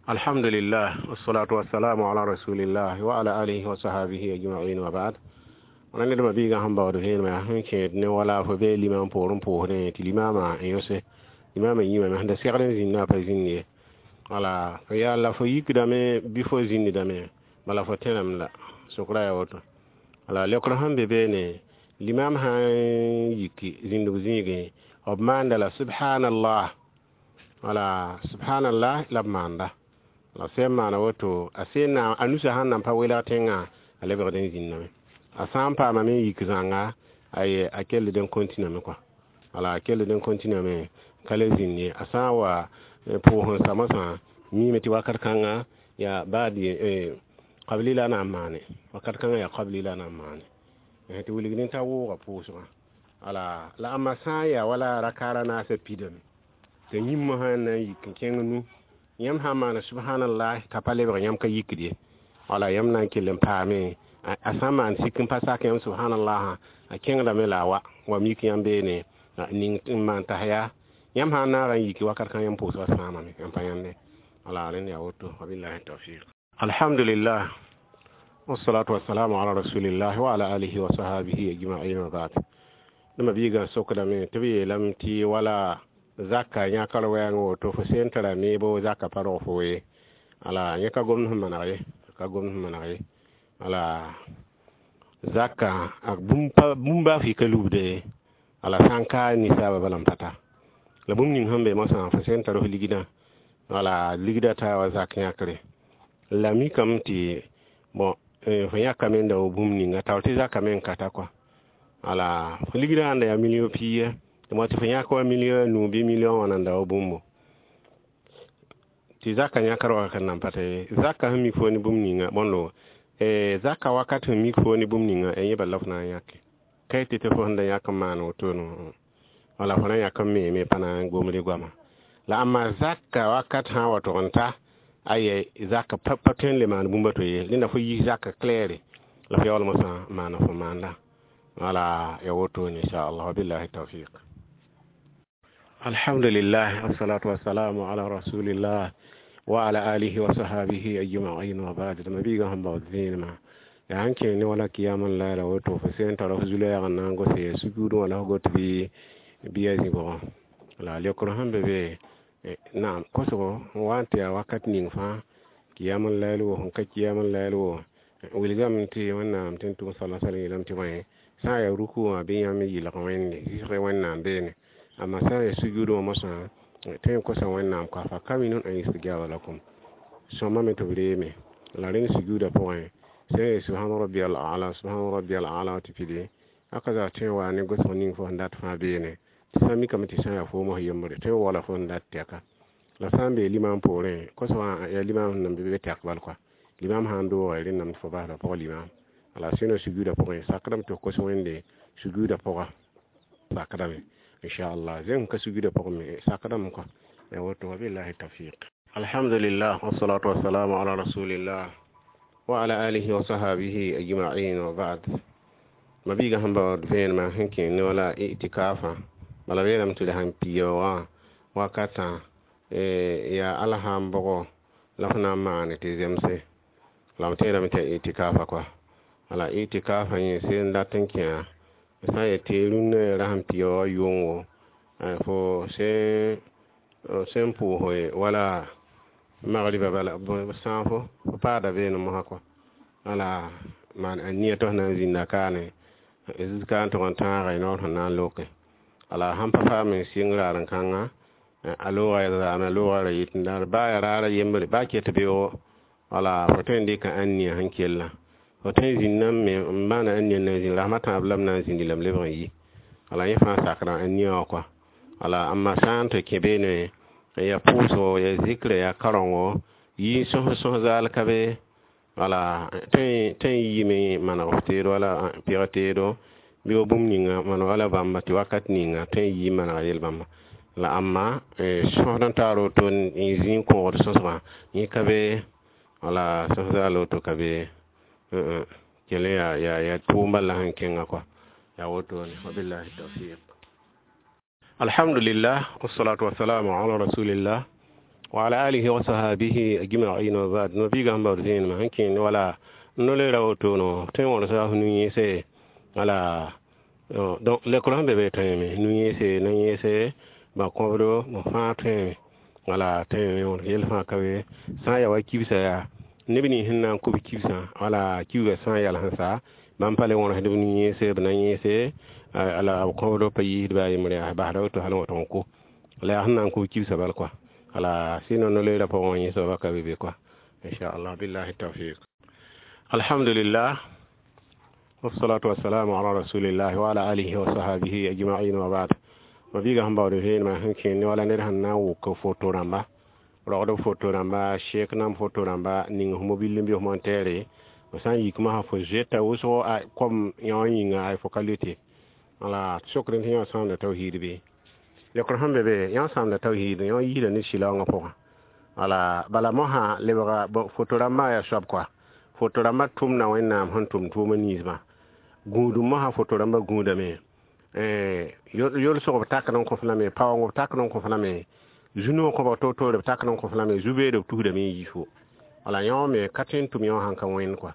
Alhamdulillah, wassalatu wassalamu ala rasulillah wa ala alihi wa sahabihi ajma'in wa ba'd. Wala ned mabiigã sẽn baood vẽenemã yaa sẽn kẽed ne wala fo bee limam poorẽ pʋʋsdẽ tɩ limaamã n yõse limaamã yĩmame sẽn da segd n zĩndã pa zĩnd ye. Wala fo yaa la fo yikdame bɩ fo zĩndame, bala fo tẽrame la sokra yaa woto. Wala leokr sẽn be beene, limam sã n yiki zĩndg zĩigẽ, b maanda la subhanallah, wala subhanallah la b maanda la sẽn maana woto, a sẽn na a nusa sẽn nan pa welg tẽngã, a lebgd n zĩndame. A sã n paamame n yik zãnga, aye, a kell n continuame kɔa, wala a kell n continuame ka le zĩnd ye. A sã n wa pʋʋs n sa mosã, miime tɩ wakat kãnga yaa baad qabli la na n maane, wakat kãngã yaa qabli la na n maane tɩ wilgd t'a wooga pʋʋsgã. Wala la ãmba sã n yaa wala rakaara naasã pidame tɩ yĩmbã sã n na n yik n kẽng nu, yãmb sã n maana subhanallah t'a pa lebg, yãmb ka yikd ye. Wala yãmb na n kell n paame a sã n maan sik n pa sak yãmb subhanallah, a kẽngdame la a wa mik yãmb beene ning n maan tasya. Yãmb sã n naag n yiki wakat kã, yãmb pʋʋsgã sãamame, yãmb pa yãnde. Wala rẽnd yaa woto, wabillahi tawfiq. Alhamdulillah, wassalatu wassalamu ala rasulillah wa ala alihi wa sahabihi ajma'in wa ba'd. Nima biigã sokdame tɩ b yeelame tɩ wala zaka yãkr wɛɛng woto, fo sẽn tara meebo zaka pa rog fo ye. Ala yẽ ka gomd sẽn maneg ye, ka gomd sẽn maneg ye. Ala zaka bũmb baa fɩ ka lubde, ala sã n ka ninsaba bala n pa ta la bũmb ning sẽn be mosã, fo sẽn tar f ligdã, wala ligdã taa wa zak yãkre la mikame tɩ bon fo yãkame n da wa bũmb ninga taoor tɩ zaka me n ka ta kɔa. Ala fo ligdã sãn da yaa million pia tɩ mo tɩ fo yãk wa million a nuu bɩ million wã nan da wa bũmbo tɩ zaka yãkr wakat nan pa ta ye. Zaka sẽn mik fo ne bũmb ninga bõndo, zaka wakat sẽn mik fo ne bũmb ninga, yẽ bala f na n yãke ka yetɩ tɩ fo sẽn da yãk n maan wotone, wala fo na yãk n meeme pa na n gomd goama la. Amma zaka wakat sã n wa tʋg n ta, aye, zaka pa tõe n le maan bũmb a to ye. Rẽnda fo yis zaka claire la fo yaool mosã maana fo maanda. Wala ya wotone, inchallah, wabillahi tawfiq. Alhamdulillah, wassalatu wassalamu ala rasulillah wa ala alihi wa sahabihi ajma'in wa ba'd. Mabiiga sẽn baood vẽenemã yaa sẽn kẽng ne wala kiyam n laara woto, fo sẽn tara f zu-loɛɛg n na n gose sugudẽ wala f got bɩ bɩ a zĩbgã. La leokr sẽn be be naam kosgo n wa n tɩ yaa wakat ning fãa, kiyam n layl wo, sẽn ka kiyam n layl wo, wilgame tɩ Wẽnnaam tɩ n tʋm sala sala yeelame tɩ bõe, sã n yaa ruku wã bɩ yãmb yɩlg Wẽnde zɩsg Wẽnnaam beene, amma sã n yaa sujud wã mosã, tõe n kosa Wẽnnaam kɔa fa kaminun an yustajaba lakum sõmame tɩ b reeme. La rẽnd sujuudã pʋgẽ, sẽn ye subhana rabbiyal a'la, subhana rabbiyal a'la tɩ pidi aka zaa tõe n wa ne gosg ning fo sẽn dat fãa beene, tɩ sã n mikame tɩ sã n yaa foomã yembre tõe n wala fo sẽn dat tɛka. La sã n bee limam poorẽ, kosgã yaa limam sẽn nan be tɛk bal kɔa, limam sã n dooga rẽnname tɩ fo basda pʋgã limam. Ala sẽna sujuudã pʋgẽ sakdame tɩ f kos Wẽnde sujuudã pʋga sakdame, inchallah. Zẽng ka sujuudã pʋgẽ me sakdame kɔa ya woto, wabillahi tawfiq. Alhamdulillah, wassalatu wassalamu ala rasulillah wa ala alihi wa sahabihi ajma'in wa ba'd. Mabiiga sẽn baood vẽenemã sẽn kẽ ne wala itikaafã, bala b yeelame tɩ d sãn pia wã wakatã yaa alsãn bʋgo la f na n maane tɩ zemse la m tẽedame tɩ yaa itikaafã kɔa. Wala itikaafã yẽ sẽn dat n kẽa, sã n yetɩ rũnnã rasem pia wa yʋngo, fo sẽn pʋʋse wala magriba bala sãafo fo paada beene mosã kɔa. Wala maan a nia tɩ f na n zĩnda kaane ka n tʋg n tãaga noor sẽn na n loke. Ala sãn pa paam n sɩng raar-n-kãnga, a looga zaame, a looga ra yit n daar baa ya raara yembre baa ket beoogo, wala fo tõe n dɩka ãn-nia sẽn kella, fo tõe n zĩnda me n maana ãn-nia na n zĩnd rasem a tãab la m na n zĩndi la m lebg n yi. Wala yẽ fãa sakda ãn-nia wã kɔa. Wala amma sã n tɩ kẽ beene ya pʋʋsgo, ya zikra, ya karengo yi sõs sõs zaal ka be, wala tõe n yiime maneg f teedo wala pɩg teedo bɩ wa bũmb ninga maneg wala bãmba tɩ wakat ninga tõe n yi manega yel bãmba. La amma sõsd n taar woto n zĩ n kõgd sõsgã, yẽ ka be, wala sõs zaal woto ka be, kell yaa tʋʋm bala sẽn kẽnga kɔa yaa wotone, wabillahi tawfiq. Alhamdulillah, wassalatu wassalamu ala rasulillah. Wa ala alihi wa sahbihi ajma'in wa ba'd. No biga sẽn baood vẽenemã sẽn kẽend wala no-leera wotono tõe n wõrsa f nu-yẽese wala donc lekr sẽn be be tõeme nu-yẽese na-yẽese ba-kõbdo b fãa tõeme wala tõeme wõrs yell fãa ka be sã n ya wa kibsã yaa neb nins sẽn na n kʋ b kibsã wala kibgã sã n yals n sa bãmb pa le wõrsd b nu-yẽese b na-yẽese la b kõbdo pa yiisd baa yembre yaa basda woto hal n wa tʋg n kʋ la yaa sẽn na n kʋ b kibsã bal kɔa wala sinon no-leerã pʋgẽ wã yẽ soabã ka be be kɔa inchallah billahi tawfiq. Alhamdulillah, wassalatu wassalamu ala rasulillah wa ala alihi wa sahbihi ajma'in wa ba'd. Ma biiga sẽn baood vẽenemã sẽn kẽend wala ned sẽn na n wʋk foto rãmba rogd foto rãmba sheek nam foto rãmba ning f mobil n bɩ f montɛɛre f sã n yik masã fo zoeta wʋsgo kom yõ yĩnga ay fo ka lʋɩte wala sokd tɩ yõ sãamda tawhiid bɩ lekr sẽn be be yõ sãamda tawhiid yõ yiisda ne sɩlaoongã pʋgã wala bala mosã lebga foto rãmbã yaa soab kɔa foto rãmbã tʋmda Wẽnnaam sẽn tʋm tʋʋma ninsbã gũudum mosã foto rãmbã gũudame yolsg b takd n kõ f lame paoong b takd n kõ f lame zu-noog kõbg toor-toore b takd n kõ f lame zu-beede b tusdame n yiis fo wala yõ me ka tõe n tʋm yõ sãn ka wẽnd kɔa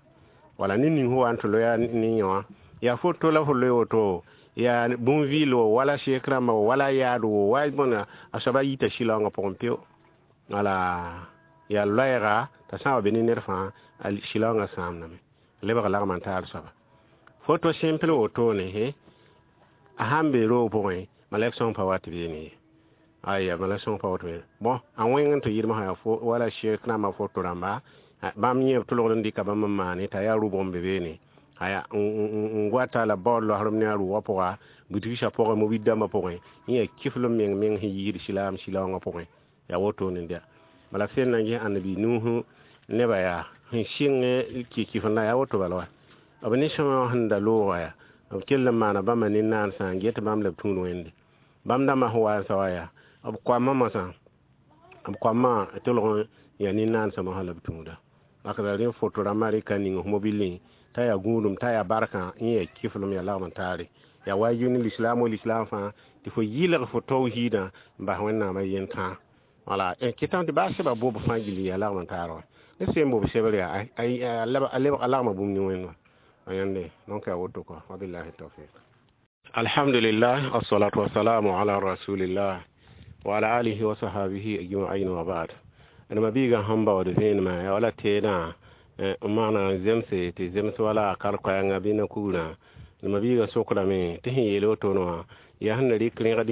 wala ned ning sẽn wa n tɩ loya ne yõ yaa foto la fo loe woto yaa bũn-vɩɩl wo wala sheek rãmba wo wala yaad wo wa bõna a soaba yita sɩlaoongã pʋgẽ peo wala yaa loɛɛga t'a sã n wa be ne ned fãa a sɩlaoongã sãamdame lebg lagm n taar soaba foto simple wotone a sãn be roog pʋgẽ malɛk sõng pa wat beene ye aya malɛk sõng pa wat beene bõn a wẽng n tɩ yɩlem sã yaa wala sheek rãmbã foto rãmba bãmb yẽ b tʋlgd n dɩka bãmb n maane t'a yaa rʋbg n be beene aya n goata la baood loasrem ne a rʋʋgã pʋga butigsa pʋgẽ mobil dãmbã pʋgẽ yẽ yaa kiflem meng meng sẽn yiisd silaam sɩlaoongã pʋgẽ yaa wotone dɛ bala sẽn na n ges ãnnabi Nuhu nebã yaa sẽn sɩng kɩ-kɩfenda yaa woto bala wa b ne sõma sẽn da loogã yaa b kell n maana bãmba ne naansã n get bãmb la b tũud wẽnde bãmb dãmbã sẽn wa n sa wa yaa b koamã mosã b koamã tʋlg n yaa ne naansã mosã la b tũuda bakda rẽ foto rãmbã rɩka ning f mobilẽ t'a yaa gũudum t'a yaa barkã yẽ yaa kiflem yaa lagm n taare yaa waajib ne lislaam wa lislaam fãa tɩ fo yɩlg fo tawhiidã n bas Wẽnnaamã yentã wala kɩtame tɩ baa sɛba boob fãa gilli yaa lagm n taar wa ne sẽn boob sebr yaa a lebg a lagma bũmb ne wẽnd wã a yãnde donc yaa woto kɔ wabillahi tawfiq. Alhamdulillah, wassalatu wassalamu ala rasulillah wa ala alihi wa sahbihi ajma'in wa ba'd. Ma biiga sẽn baood vẽenemã yaa wala teedã n maana zemse tɩ zems wala kar-koɛɛngã bɩ na-kugrã ma biiga sokdame tɩ sẽn yeel wotone wã yaa sẽn na rɩk rẽgd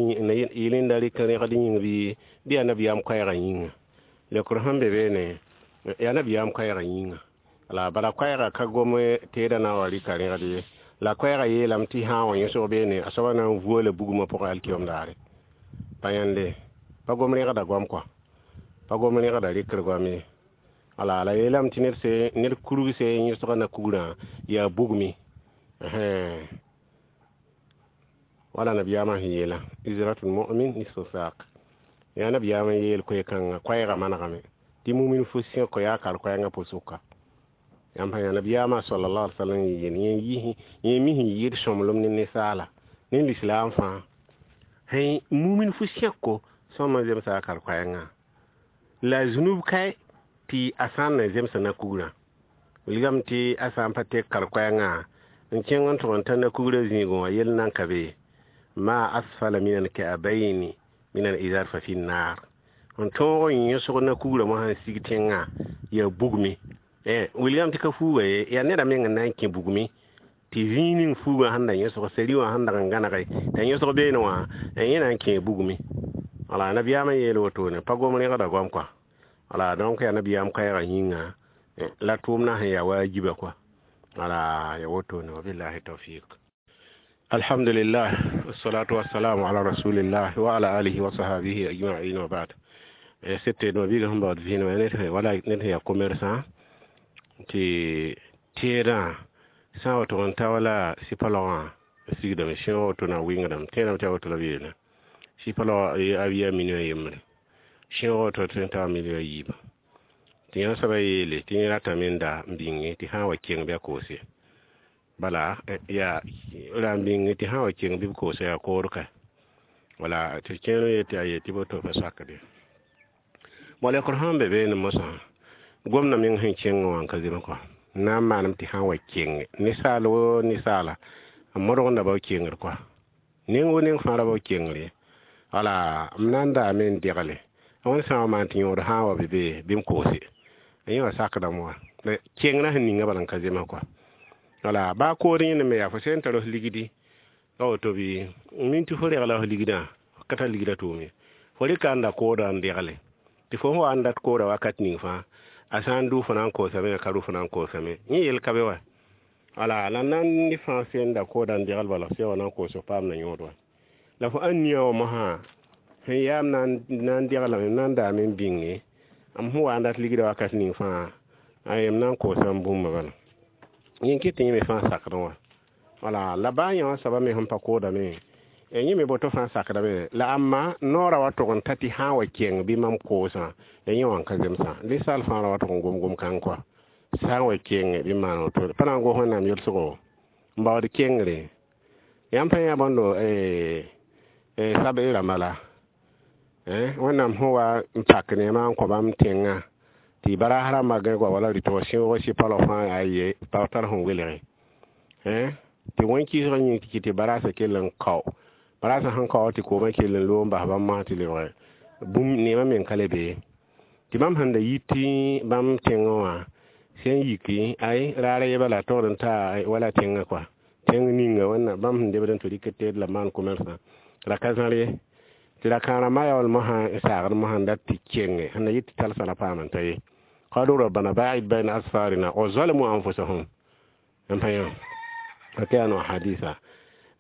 yɩl n da rɩk rẽgd yĩng bɩ yaa nabiyaam koɛɛgã yĩnga lekr sẽn be beene yaa nabiyaam koɛɛgã yĩnga la bala koɛɛgã ka gom teedã na n wa rɩka rẽgd ye la koɛɛgã yeelame tɩ sã n wa yẽsg beene a soabã na n vuola bugmã pʋgẽ alkiyom daare pa yãnde pa gom rẽgda goam kɔa pa gom rẽgda rɩkr goam ye wala la yeelame tɩ ned kurg se yẽsga na-kugrã yaa bugmi wala nabiyaamã sẽn yeela izratul mu'min nisfu saq yaa nabiyaamã yeel koe-kãngã koɛɛgã manegame tɩ mumin fo sẽko yaa kar-koɛɛngã pʋsʋka yãmb sã yaa nabiyaamã sallallahu alaihi wasallam yeel yẽ mi sẽn yɩɩd sõmblem ne ninsaala ne lislaam fãa sẽn mumin fo sẽko sõma zemsa a kar-koɛɛngã la zunub kae tɩ a sã n na zemsa na-kugrã wilgame tɩ a sã n pa tek kar-koɛɛngã n kẽng n tʋg n ta na-kugrã zĩigẽ wã yell nan ka be ma asfala min alka'bayni min al-izar fa fi an-nar n tõog n yẽsg na-kugrã mosã n sig tẽngã yaa bugmi wilgame tɩ ka fuuga ye yaa neda meng n na n kẽ bugmi tɩ zĩig ning fuugã sẽn da yẽsg sari wã sẽn dag n gãnege t'a yẽsg beene wã yẽ na n kẽ bugmi wala nabiyaamã yeel wotone pa gom rẽgda goam kɔa wala donc yaa nabiyaam koɛɛgã yĩnga la tʋʋmdã sẽn yaa waajiba kɔa wala ya wotone wabillahi tawfiq. Alhamdulillah, wassalatu wassalamu ala rasulillah wa ala alihi wa sahbihi ajma'in wa ba'd. Sete no biga sẽn baood vẽenemã wala ned sẽn yaa commerçant tɩ teedã sã n wa tʋg n ta wala sɩpa laogã sigdame sẽog woto na wɩngdame tẽedame tɩ a woto la b yeelã sɩpa laog a yaa million yembre sẽog woto tɩ n taa million yiiba tɩ yã soabã yeele tɩ yẽ ratame n da n bĩnge tɩ sã n wa keng bɩ a koose bala yaa ra n bĩnge tɩ sã n wa keng bɩ b koose yaa kood ka wala tɩ kẽer yetɩ a yetɩ boto pa sakde. Bala lekr sẽn be beene mosã gomdã meng sẽn kẽng wã n ka zems kɔa na n maaname tɩ sã n wa kenge ninsaal wo ninsaala n modgenda bao kengr kɔa neng wo neng fãa ra bao kengr ye wala m na n daame n degle wẽnd sã n wa maan tɩ yõod sã n wa be be bɩ m koose yẽ wã sakdame wã kengrã sẽn ninga bala n ka zems kɔa wala baa kood yẽne me yaa fo sẽn tar f ligdi a woto bɩ min tɩ fo regla f ligdã f ka tar ligdã tʋʋm ye fo rɩka n da koodã n degle tɩ fo sẽn wa n dat koodã wakat ning fãa a sã n dʋ fo na n koosame a ka rʋ fo na n koosame yẽ yel ka be wa wala la nan ne fãa sẽn da koodã n degl bala f sẽn wa na n koos f paam na yõod wa la fo ãn nia wã mosã sẽn yaam na n deglame m na n daame n bĩnge m sẽn wa n dat ligdã wakat ning fãa m na n koosa m bũmba bala yẽ kɩt tɩ yẽ me fãa sakdẽ wã wala la baa yã wã soaba me sẽn pa koodame yẽ me boto fãa sakdame la ãmba noorã wa tʋg n ta tɩ sã n wa keng bɩ mam koosã la yẽ wã n ka zemsã ninsaal fãa ra wa tʋg n gom gom-kãng kɔa sã n wa kenge bɩ maan woto pa na n gos wẽnnaam yelsgo n baood kengre yãmb pa yã bõndo sab-y rãmba la wẽnnaam sẽn wa n pak neemã n kõ bãmb tẽngã tɩ baraas rãmbã gãe goa wala rɩtg sẽoog sɩ-palg fãa yaa ye pa tar sẽn welge tɩ wẽn-kɩɩsg yĩng tɩ kɩt tɩ baraasã kell n kao baraasã sẽn kao tɩ koomã kell n loog n bas bãmb mosã tɩ lebge bũmb neemã meng ka le be tɩ bãmb sẽn da yit tɩ bãmb tẽngẽ wã sẽn yiki ay raar ye bala togd n taa wala tẽngã kɔa tẽng ninga wẽnna bãmb sẽn debd n tɩ rɩk teed la maan commerçant ra ka zãr ye tɩ ra-kãarã yaool mosã n saagd mosã n dat tɩ kenge sẽn da yit tɩ talsã ra paam n ta ye قالوا ربنا باعد بين أسفارنا وظلموا أنفسهم n pa yã كانوا حديثا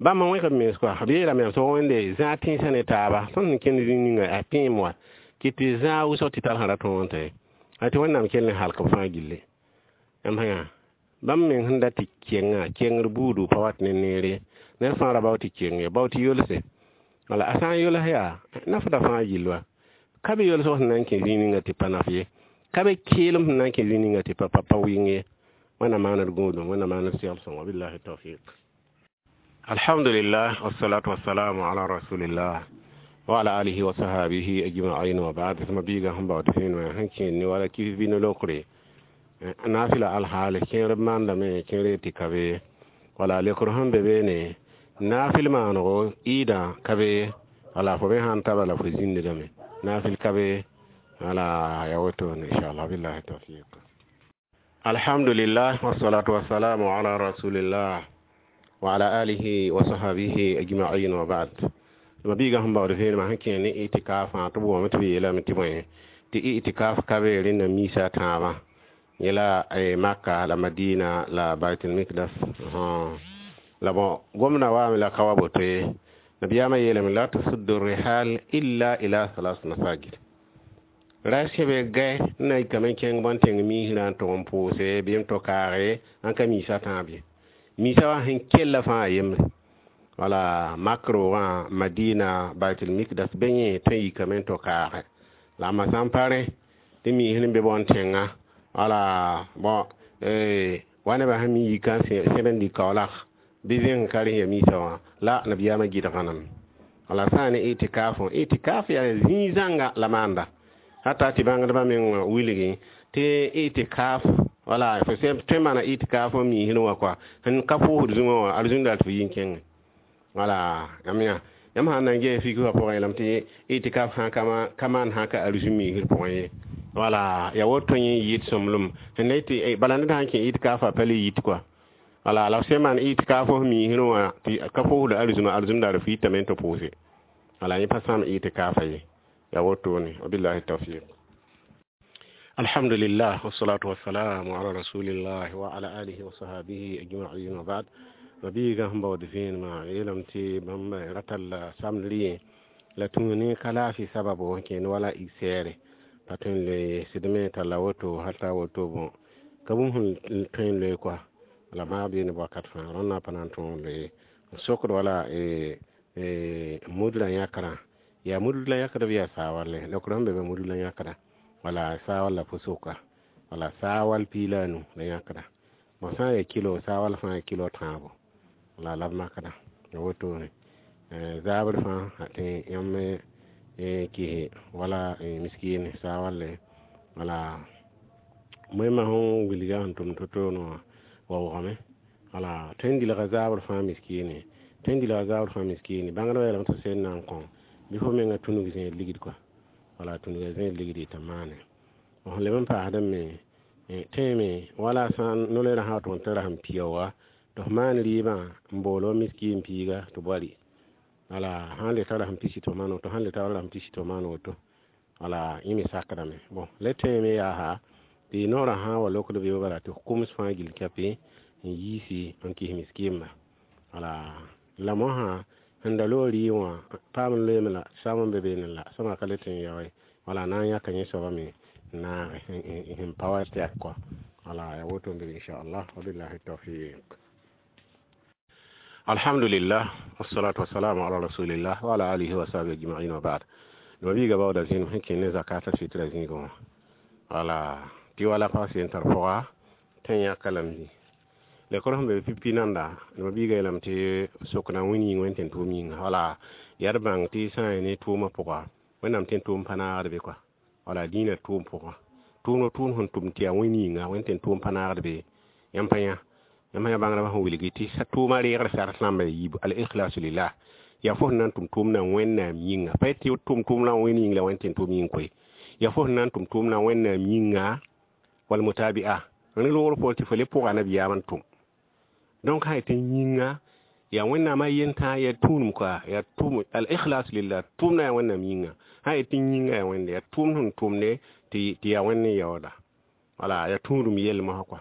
bãmb n wẽgb mens kɔa b yeelame yaa sog wẽnde zãag tẽnsã ne taaba tõnd sẽn kẽnd zĩig ninga a tẽem wa kɩ tɩ zãag wʋsg tɩ talsã ra tõog n ta ye a tɩ wẽnnaam kell n halk b fãa gilli m pa yã bãmb meng sẽn dat tɩ kengã kengr buudu pa wat ne neer ye ned fãa ra bao tɩ keng ye bao tɩ yolse wala a sã n yols yaa nafda fãa gill wa ka be yolsg sẽn na n kẽ zĩig ninga tɩ pa naf ye ka be keelem sẽn na n kẽ zĩig ninga tɩ pa wɩng ye wẽnnaam maaned gũudum wẽnnaam maaned segl sõngo billahi tawfiq alhamdulillah wassalatu wassalamu ala rasulillah wa ala alihi wa sahabihi ajma'in wa ba'd ma biiga sẽn baood fẽen wã sẽn kẽen ne wala kif bɩ ne lokre nafila alhaale kẽer b maandame kẽer tɩ ka be wala lekr sẽn be beene nafil maanego ɩɩdã ka be wala fo me sãn ta bala fo zĩndame nafil ka be wala ya wotone inchallah billahi tawfiq alhamdulillah wassalatu wassalamu ala rasulillah wa ala alihi wa sahbihi ajma'in wa ba'd ma biiga sẽn baood vẽenemã sẽn kẽ ne itikafã tɩ b wame tɩ b yeelame tɩ bõe tɩ itikaf ka be rẽnda miisa a tãabã yẽla Maka la Madina la Baitul Mikdas la bon gomdã waame la ka wa boto ye nabiyaamã yeelame la tusuddu rihal illa ila salas masajid ra sẽbe gɛ n na yikame n kẽng bõn tẽng miisrã n tʋg n pʋʋse bɩ n to kaage n ka miisa tãab ye miisa wã sẽn kella fãa yembre wala mak roogã Madina Baitul Mikdas be yẽ tõe n yikame n to kaage la a sã n pa rẽ tɩ miisr n be bõn tẽngã wala bon wa nebã sẽn mi yika n sẽb n lik kaoolak bɩ zẽng ka rẽ ya miisã wã la nabiyaamã gɩdgãname wala sã n ne itikafõ itikaf yaa zĩig zãnga la maanda hata tɩ bãngdbã meng wilgi tɩ itikaf wala fo tõe n maana itikaf n miisr wã kɔa sẽn ka pʋʋsd zũmã wã arzũnda tɩ fo yi n kẽngẽ wala yãmb yã yãmb sãn na n ges fik wã pʋgẽ yeelame tɩ itikaf sã ka maan sã ka arzũ miisr pʋgẽ ye wala ya woto yẽ yɩɩd sõmblem sẽn na tɩ bala ned sãn kẽ itikafã pa le yit kɔa wala la f sẽn maan itikaf f miisr wã tɩ ka pʋʋsd arzũma arzũndaar f yitame n tɩ pʋʋse wala yẽ pa sãam itikafa ye ya wotone wabillahi tawfiq alhamdulillah wassalatu wassalamu ala rasulillah wa ala alihi wa sahbihi ajma'in wa ba'd mabiiga sẽn baood vẽenemã yeelame tɩ bãmb ra tall samdr yẽ la tũu ne ka laafɩ sababo n kẽend wala sɛɛre pa tõe n loe sɩdme talla woto hal t'a woto bõ ka bũmb sẽn tõe n loe kɔa la maa beene wakat fãa rõndã pa na n tõog n loe n sokd wala mudlã yãkrã yaa mudl la yãkd bɩ yaa saawale lokr sẽn be be mudl la yãkda wala saawal la fo soka wala saawal piig la a nu la yãkda bõ sã n yaa kilo saawal fãa yaa kilo tãabo wala la b makda wotone zaabr fãa tɩ yãmb Kɩse wala miskin saa walle wala moẽmã sẽn wilga sẽn tʋm to-to wã waoogame. Wala tõe n dilga zaabr fãa miskine, tõe n dilga zaabr fãa miskine. Bãngdbã yeelame tɩ sẽn na n kõ bɩ fo menga tũnug zẽed ligd kɔa. Wala tũnuga zẽed ligd t'a maane. Sẽn leb n paasdẽ me, tẽeme wala sã n no-loeerã sã wa tʋg n tara sẽn piaooga tɩ f maan rɩɩbã n bool wa miskin piiga tɩ bɔri. Wala sãn le tara sẽn pisi tɩ f maan woto, sãn le tara sẽn pisi tɩ f maan woto. Wala yẽ me sakdame. Bõn le tẽeme yaa tɩ noorã sã n wa lokd beoog bala tɩ f kʋms fãa gill kape n yiisi n kɩs miskɩmba. Wala la mosã sẽn da loog rɩɩb wã paam n loeeme la sam n be beene la sõma ka le tõe n yao ye. Wala na n yãka yẽ soaba me n naage sẽn pa wa tɛk kɔa. Wala yaa woto n be inchallah, wabillahi tawfiq. Alhamdulillah, wassalatu wassalamu ala rasulillah wa ala alihi wa sahbihi ajma'in wa ba'd. Mabiiga baooda zĩnem sẽn kẽ ne zakat al-fitra zĩigẽ wã. Wala tɩ wala pag sẽn tar pʋga tɩ n yãka lame zĩ lekr sẽn be pipi nanda. Mabiiga yeelame tɩ sokna wẽn yĩng wẽn tẽn tʋʋm yĩnga. Wala yaa d bãng tɩ sã n yaa ne tʋʋmã pʋga, Wẽnnaam tẽn tʋʋm pa naagd be kɔa. Wala dĩinã tʋʋm pʋgã, tʋʋmd tʋʋm sẽn tʋm tɩ yaa wẽn yĩnga, wẽn tẽn tʋʋm pa naagd be. Yãmb pa yã, yãmb yã bãngdbã sẽn wilgi tɩ tʋʋmã reegr sart rãmba yiibu al ikhlasu lillah. Yaa fo sẽn na n tʋm tʋʋmdã Wẽnnaam yĩnga, pa tɩ tʋm tʋʋmdã wẽn yĩng la wẽn tẽn tʋʋm yĩng koe. Yaa fo sẽn na n tʋm tʋʋmdã Wẽnnaam yĩnga wal mutabi'a ne loogr poor tɩ fo le pʋga nabiyaam n tʋm. Donc sã tɩ yĩnga yaa Wẽnnaamã yentã, yaa tũudum koa, yaa tʋm al ikhlas lillah, tʋʋmdã yaa Wẽnnaam yĩnga. Sã yetɩ yĩnga yaa Wẽnde, yaa tʋʋmd sẽn tʋmde tɩ yaa Wẽnd n yaooda. Wala yaa tũudum yell mosã kɔa.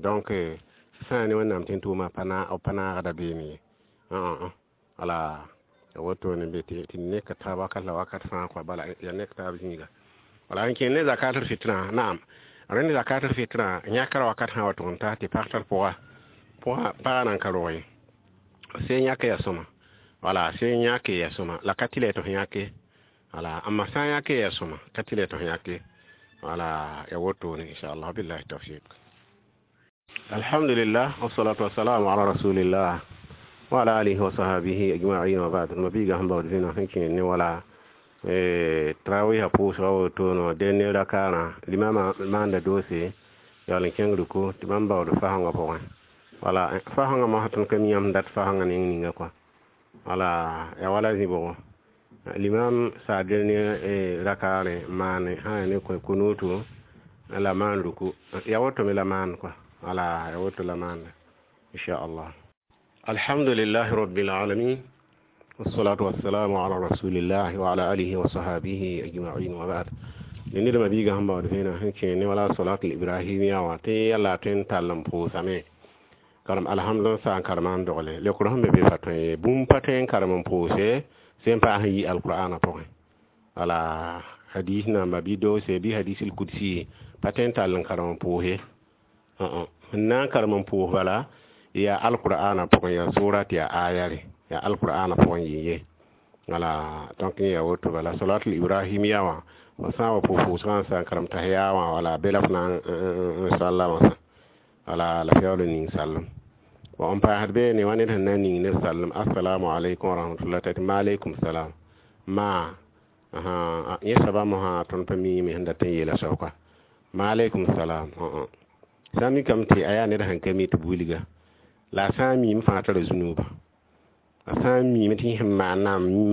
Donc sã ne Wẽnnaam tẽn tʋʋmã pa naagda beene ye. Wala wotone be tɩ nek taab wakat la wakat fãa kɔa. Bala yaa nek taab zĩiga. Wala n kẽen ne zakatul fitrã. Naam, rẽnd zakatul fitrã yãkra wakat sã wa tʋg n ta tɩ pag tar pʋga, pʋga pagã nan ka rog ye, sẽn yãk ya sõma. Wala sẽn yãk ya sõma la ka tɩ la tɩ f yãke. Wala amma sã n yãke ya sõma, ka tɩ la tɩ f yãke. Wala ya wotone inchallah, billahi tawfiq. Alhamdulillah, wassalatu wassalamu ala rasulillah wa ala alihi wa sahbihi ajma'in wa ba'd. Mabiiga sẽn baood zĩna sẽn kẽer ne wala tarawiha pʋʋsga wotone dẽnd rakaarã limama maanda doose yaool n kẽng ruku tɩ bãmb baood fasẽngã pʋgẽ. Wala fasẽngã mosã tõnd ka mi yãmb dat fasẽngã neng ninga kɔa. Wala ya wala zĩ-bʋgo limam saa dẽnd rakaarẽ maane sã yaa ne kunutu la maan ruku, ya woto me la maan kɔa. Wala ya woto la maanda inchallah. Alhamdulillahi rabbil alamin, wassalatu wassalamu ala rasulillah wa ala alihi wa sahbihi ajma'in wa ba'd. Ned mabiiga sẽn baood vẽenã sẽn kẽ ne wala salatul ibrahimiya wã tɩ yalla tõe n tall n pʋʋsame karem alhamd n sa n karema n dogle lekr sẽn be be pa tõe ye. Bũmb pa tõe n karem n pʋʋse sẽn paas n yi alqur'ana pʋgẽ. Wala hadis namba bɩ doose bɩ hadisul kudsi pa tõe n tall n karem n pʋʋse. Sẽn na n karem n pʋʋs bala yaa alqur'ana pʋgẽ, yaa surat, yaa ayare, yaa alqur'ana pʋgẽ yɩ ye. Wala donc yã woto bala salatul ibrahimiya wã fo sã n wa pʋʋs-pʋʋsgã n sa n karem tahiya wã, wala be la f na n salla wã sã. Wala la f yaool n ning sallem. Bon, n paasd beene wa ned sẽn na n ning ned sallem assalamu alaikum warahmatullah t'a tɩ maaleykum salam ma yẽ soaba mosã tõnd pa miime sẽn dat n yeela soab kɔa maaleykum salam. Sã n mikame tɩ a yaa ned sẽn ka mi tɩ b wilga la a sã n miime fãa tara zũnuuba. A sã n miime tɩ yẽ sẽn maan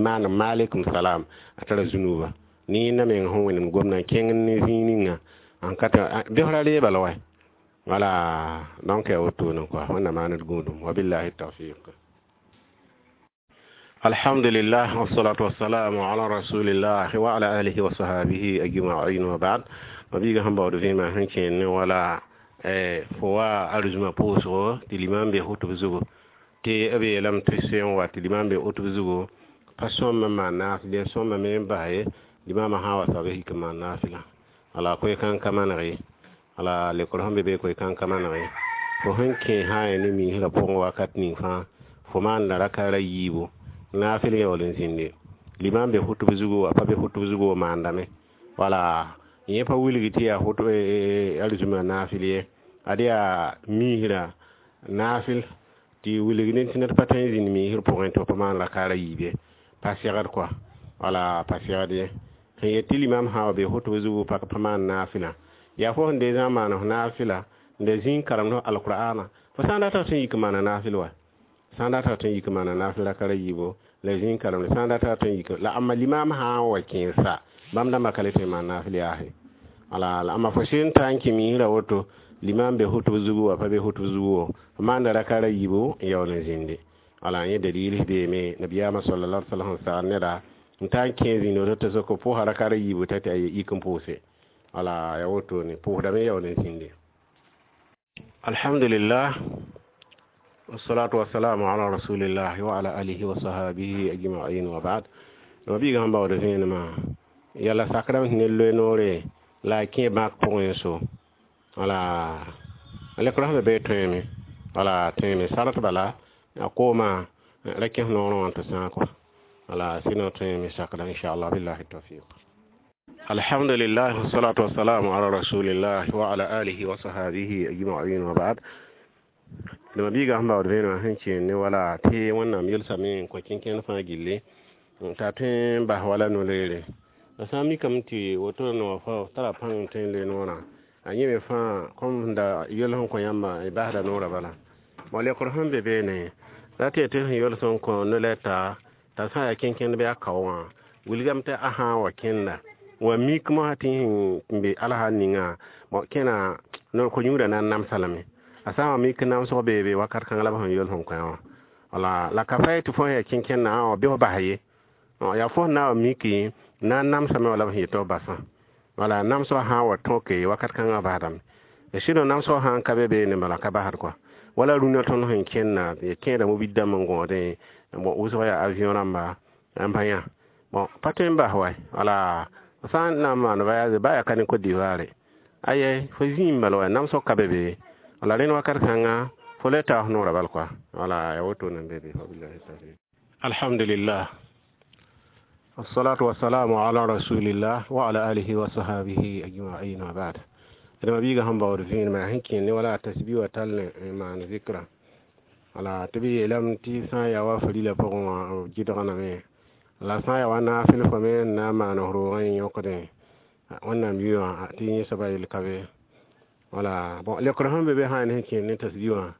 maan maaleykum salam a tara zũnuuba ne yẽnda meng sẽn wẽnemd gomdã n kẽng ne zĩig ninga n ka tɩ bɩsra reeba la wa. Wala donc ya wotone kɔa. Wẽnna maan d gũudum, wabillahi tawfiq. Alhamdulillah, wassalatu wassalamu ala rasulillah wa ala alihi wa sahbihi ajma'in wa ba'd. Mabiiga sẽn baood vẽemã sẽn kẽer ne wala fo wa arzũma pʋʋsgo tɩ limam be hʋtb zugu tɩ b yeelame tɩ sẽn wa tɩ limam be hʋtb zugu pa sõm n maan naafɩl ye, sõmame n bas ye. Limamã sã n wa soab yik n maan naafɩlã. Wala koe-kãng ka maneg ye. Wala lekr sẽn be be koe-kãng ka maneg ye. Fo sẽn kẽ sã n yaa ne miisrã pʋgẽ wakat ning fãa fo maanda rakaara yiibu naafɩl yaool n zĩnde limam be hʋtb zugu wa pa be hʋtb zugu wa maandame. Wala yẽ pa wilg tɩ yaa hʋtb arzũma naafɩl ye, ad yaa miisrã naafɩl tɩ wilg ne tɩ ned pa tõe n zĩnd miisr pʋgẽ tɩ pa maan rakaara yiib ye, pa segd kɔa. Wala pa segd ye sẽn yet tɩ limam sã wa be fotb zugu pak pa maan naafɩlã yaa fo sẽn deezã n maan f naafɩla n da zĩig karemd f alqur'ana fo sã n data tɩ n yik n maana naafɩl wa sã n data tɩ n yik n maana naafɩl raka ra yiibo la zĩig karemde sã n data tɩ n yik la amma limam sã n wa kẽesa bãmb dãmbã ka le tõe n maan naafɩl yaase wala la amma fo sɩd n ta n kẽ miisrã woto limam be fotb zugu wa pa be fotb zugu wo f maanda raka ra yiibo n yaool n zĩndi wala yẽ dalil beeme nabiyaamã sallallahu alaihi wasallam sagd neda n ta n kẽ zĩnd woto tɩ sok pʋʋsa raka ra yiibo t'a tɩ a yik n pʋʋse wala ya wotone pʋʋsdame yaool n zĩndi. Alhamdulillah, wassalatu wassalamu ala rasulillah wa ala alihi wa sahabihi ajma'in wa ba'd. No biiga sẽn baood vẽenemã yala sakrame sẽn ne loe noore la a kẽ bãk pʋgẽ so wala lekra sẽn be tõeme wala tõeme sarat bala a kooma ra kẽs noorẽ wã tɩ sãag kɔ wala sɩno tõeme sakda inchallah billahi tawfiq. Alhamdulillah, wassalatu wassalamu ala rasulillah wa ala alihi wa sahabihi ajma'in wa ba'd. Dama biiga sẽn baood vẽenemã sẽn kẽen ne wala tɩ wẽnnaam yelsame n kõ kẽnkẽnd fãa gilli t'a tõe n bas wala no-leere la sã n mikame tɩ woto noog fa tara pãng n tõe n loe noorã a yẽ me fãa kom da yel sẽn kõ yãmba y basda noorã bala bõ lekr sẽn be beene la tɩ tɩ sẽn yels n kõ no-lɛta t'a sã n yaa kẽnkẽnd bɩ a kao wã wilgame tɩ a sã n wa kẽnda wa mik mosã tɩ sẽn be alsa ninga bõ kẽna ko-yũudã na n namsa lame a sã n wa mik namsg beebe wakat kãng la b sẽn yels n kõ wã wala la ka pa tɩ fo sẽn yaa kẽnkẽndã wã bɩ f bas ye yaa fo sẽn na n wa miki na n namsame wala b sẽn yetɩ f basã wala namsg sã n wa tõke wakat kãngã basdame sɩd namsg sã n ka be beene bala ka basd kɔa wala rũnã tõnd sẽn kẽnna kẽeda mobid dãmb n gõodẽ bon wʋsg yaa avion rãmba n pa yã bon pa tõe n bas wa wala sã n na n maan voyage ba yaa ka ne Côte d'Ivoire aye fo zĩim bala wa namsg ka be be wala rẽnd wakat kãnga fo le taas noorã bal kɔa wala yaa woto nan be be. Wabillahi tawfiq. Alhamdulillah, wassalatu wassalamu ala rasulillah wa ala alihi wa sahabihi ajma'in wa ba'd. Dama biiga sẽn baood vẽenemã sẽn kẽen ne wala tasbi wa tall n maan zikra wala tɩ b yeelame tɩ sã n yaa wa farila pʋgẽ wã b gɩdgname la sã n yaa wa naafɩl fo me n na n maan f roogã n yõkdẽ wẽnnaam yʋ wã tɩ yẽ soaba yel ka be wala bon lekr sẽn be be sã n sẽn kẽen ne tasbi wã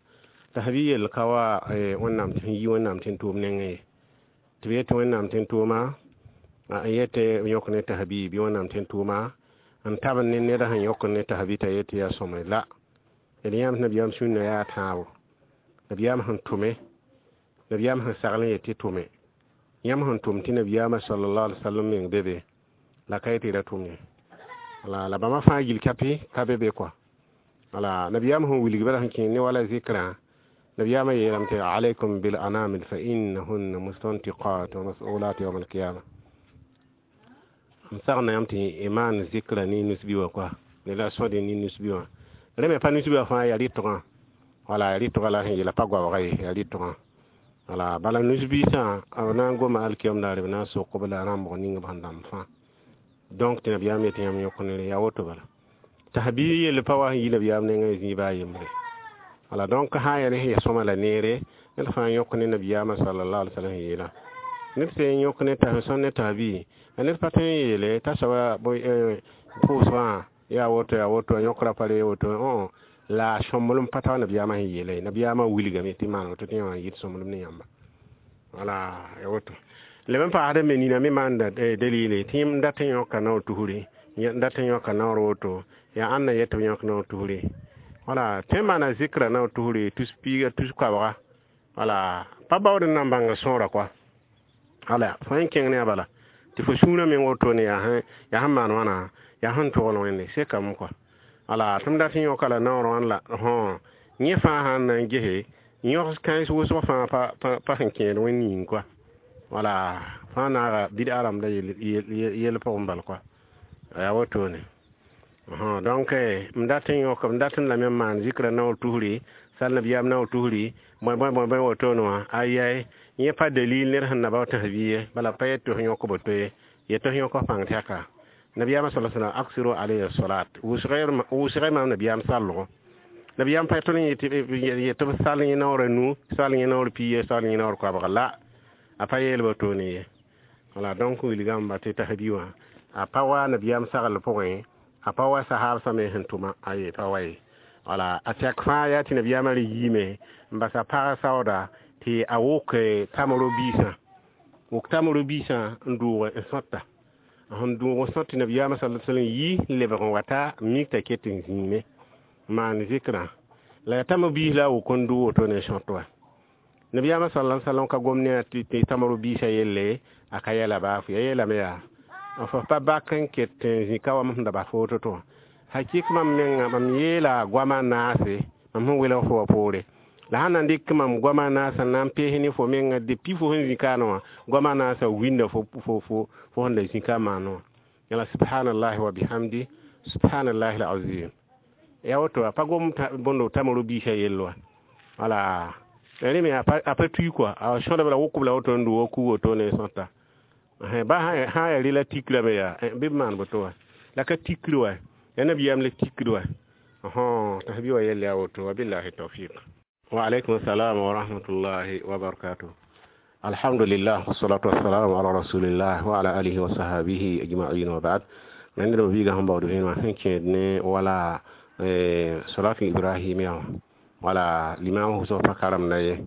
tasbi yel ka wa wẽnnaam sẽn yi wẽnnaam tɩ n tʋʋm nengẽ ye tɩ b yetɩ wẽnnaam tɩ n tʋʋma n yetɩ yõk ne tasbi bɩ wẽnnaam tɩ n tʋʋma n tab ne ned sẽn yõk ne tasbi t'a yetɩ yaa sõmre la d yãmb nabiyaam sũnna yaa tãabo nabiyaam sẽn tʋme nabiyaam sẽn sagl n yetɩ tʋme yãmb sẽn tʋm tɩ nabiyaamã sallallahu alaihi wasallam meng be be la ka yetɩ ra tʋm ye wala la bãmba fãa gil kapi ka be be kɔa wala nabiyaam sẽn wilg bala sẽn kẽ ne wala zikrã nabiyaamã yeelame tɩ alaykum bil anamil fa innahunna mustantiqat wa mas'ulat yawm alqiyama n sagna yãmb tɩ y maan zikra ne nusbi wã kɔa ne la sõd ne nusbi wã rẽ me pa nusbi wã fãa yaa rɩtgã wala yaa rɩtgã la sẽn yeela pa goabga ye yaa rɩtgã wala bala nusbiisã b na n goma alkiyam daare b na n sok b la rãmbg ning b sẽn dãmb fãa donc tɩ nabiyaam yetɩ yãmb yõk ne rẽ yaa woto bala tasbi yell pa wa sẽn yi nabiyaam nengã zĩig baa yembre wala donc sã n yaa ne sẽn ya sõma la neere ned fãa yõk ne nabiyaamã sallallahu alaihi wasallam yeela ned sẽn yõk ne tas sõn ne tasbi ned pa tõe n yeele t'a soaba pʋʋsgã yaa woto yõkra pa re woto la sõmblem pa tao nabiyaamã sẽn yeela ye nabiyaamã wilgame tɩ maan woto tɩ yã wã yɩt sõmblem ne yãmba wala ya woto leb n paasd me nina me maanda dalile tɩ yẽmb dat n yõka naoor tusri n dat n yõka naoor woto yaa ãnna yet tɩ b yõk naoor tusri wala tõe n maana zikra naoor tusri tus piiga tus koabga wala pa baood n na n bãnga sõora kɔa wala fo n kẽng ne a bala tɩ fo sũurã meng wotone yaa sẽn maan wãna yaa sẽn togl wẽnde sekame kɔa wala tɩ m dat n yõka la naoor wãn la hõ yẽ fãa sãn na n gese yõgs kãens wʋsg fãa pa sẽn kẽed wẽnd yĩng kɔa wala fãa naaga bɩd-a rãmbda yell pʋgẽ bal kɔa yaa wotone donc m dat n yõk m dat n lame n maan zikra naoor tusri sal nabiyaam naoor tusri bõe bõe bõe bõe wotone wã ayɛy yẽ pa dalil ned sẽn na bao tasbi ye bala pa yet tɩ f yõk boto ye yetɩ f yõk f pãng tɛka nabiyaamã sa sallam aksiru alayhi salat wʋsgã maam nabiyaam sallgo nabiyaam pa tõnd yetɩ b sal yẽ naoor a nu sal yẽ naoor piiye sal yẽ naoor koabga la a pa yeel wotone ye Wala donc wilgame tɩ tasbi wã a pa wa nabiyaam sagl pʋgẽ, a pa wa sahaabsã me sẽn tʋma, aye, pa wa ye. Wala a tɛk fãa yaa tɩ nabiyaamã re yiime n basa pag saooda tɩ a wʋk tamro biisã, wʋk tamro biisã n dʋʋg n sõta. Sẽn dʋʋg n sõt tɩ nabiyaamã sala sallam yi n lebg n wata n mik t'a ket n zĩime n maan zɩkrã la yaa tamro biis la a wʋk n dʋ woto ne sõt wa. Nabiyaamã sala sallam ka gom ne tɩ tamro biisã yelle, a ka yɛla baafo ya yeelame yaa f pa bak n ket n zĩ ka wa mam sẽn da bas fo woto tɩ wã hakɩk mam menga mam yeela goama naase mam sẽn welg fo wã poore la sãn na n dɩk mam goama naasã na n pees ne fo menga depuis fo sẽn zĩ kaane wã, goama naasã winda fo fo fo sẽn da zĩ ka maan wã. Yãla subhanallahi wa bihamdi subhanallahi alazim ya woto a pa gom bõndo tamro biisã yell wa. Wala rẽ me a pa tui kɔa, a sõdb la wʋkb la woto n dʋ wa ku woto ne sõta ba sã yaa rela tikrame yaa bɩ b maan boto wa la ka tikr wa ya nabiyaam la tikr wa tasbi wa yell yaa woto. Wabillahi tawfiq. Wa alaikum assalam wa rahmatullahi wa barakatuh. Alhamdulillah, wassalatu wassalamu ala rasulillah wa ala alihi wa sahabihi ajma'in wa ba'd. Ned b viiga sẽn baood vẽenemã sẽn kẽed ne wala salatu ibrahimia wã, wala limam wʋsg pa karemda ye,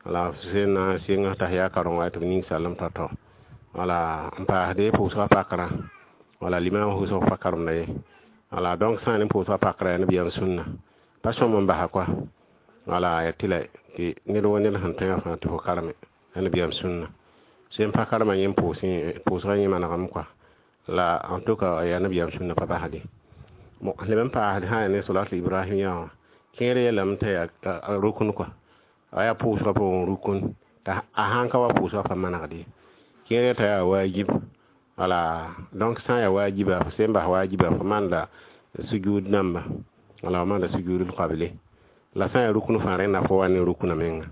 wala sẽn na n sɩng t'a yaa kareng wa tɩ b ning sallem tao-tao, wala n paasde pʋʋsgã pakrã, wala limam wʋsg pa karemda ye. Wala donc sã n ne pʋʋsgã pakrã yaa nabiyaam sũnna pa sõm n basa kɔa. Wala yaa tɩ la tɩ ned wa ned sẽn tõe fãa tɩ fo kareme yaa nabiyaam sũnna sẽn pa karema yẽ pʋʋsgã yẽ manegame kɔa la en tout cas yaa nabiyaam sũnna pa basde. Bon, leb n paasd sã yaa ne salatul ibrahimia wã kẽer yeelame t'a yaa rukun kɔa, a yaa pʋʋsgã pʋgẽ rukun t'a a sãn ka wa pʋʋsgã pa manegd ye, kẽer t'a yaa wajib. Wala donc sã n yaa wajiba, fo sẽn bas wajiba fo maanda sujud namba, wala fo maanda sujudul qabli. La sã n yaa rukun fãa rẽnda fo wa ne rukuna menga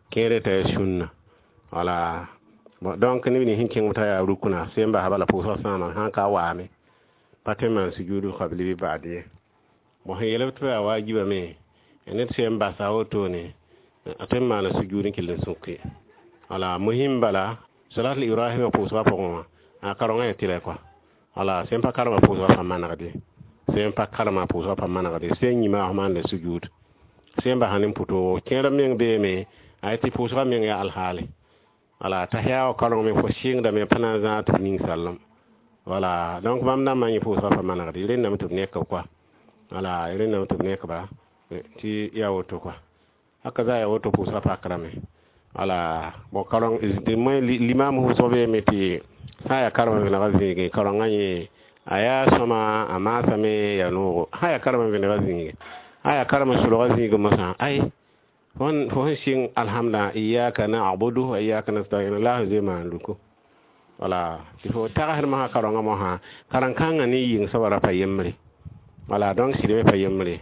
kẽere t'a yaa sũnna. Wala bon donc neb nins sẽn kẽng t'a yaa rukuna sẽn bas bala pʋʋsgã sãama sãn ka waame pa tõe n maan sujudul qabli bɩ ba'd ye. Bon, sẽn yeel tɩ yaa wajiba me ned sẽn basa wotone a tõe n maana sujud n kell n sũke. Wala muhim bala salatul ibrahima pʋʋsgã pʋgẽ wã a karengã yaa tɩlɛ kɔa. Wala sẽn pa karema pʋʋsgã pa manegd ye, sẽn pa karema pʋʋsgã pa manegd ye, sẽn yĩma f maanda sujud sẽn basa ne pʋtoogo kẽer meng beeme a tɩ pʋʋsgã meng yaa alhaale. Wala t'a yaa wa kareng me fo sɩngdame pa na n zãag tɩ b ning sallem. Wala donc bãmb dãmbã yẽ pʋʋsgã pa manegd ye, rẽndame tɩ b nekb kɔa, wala rẽndame tɩ b nekba tɩ yaa woto kɔa, haka za yaa woto pʋʋsgã pakrame. Wala bon kareng limam wʋsg beeme tɩ sã n yaa karema vẽnegã zĩige karengã yẽ a yaa sõma a maasame yaa noogo, sã yaa karema vẽnegã zĩige, sã yaa karema solgã zĩig mosã ay fo sẽn sɩng alhamda iyaka na'budu wa iyaka nasta'in la sẽn zoe maan ruku. Wala tɩ fo tagsd mosã karengã mosã karen-kãngã ne yɩng soaba ra pa yembre. Wala donc sɩd me pa yembre,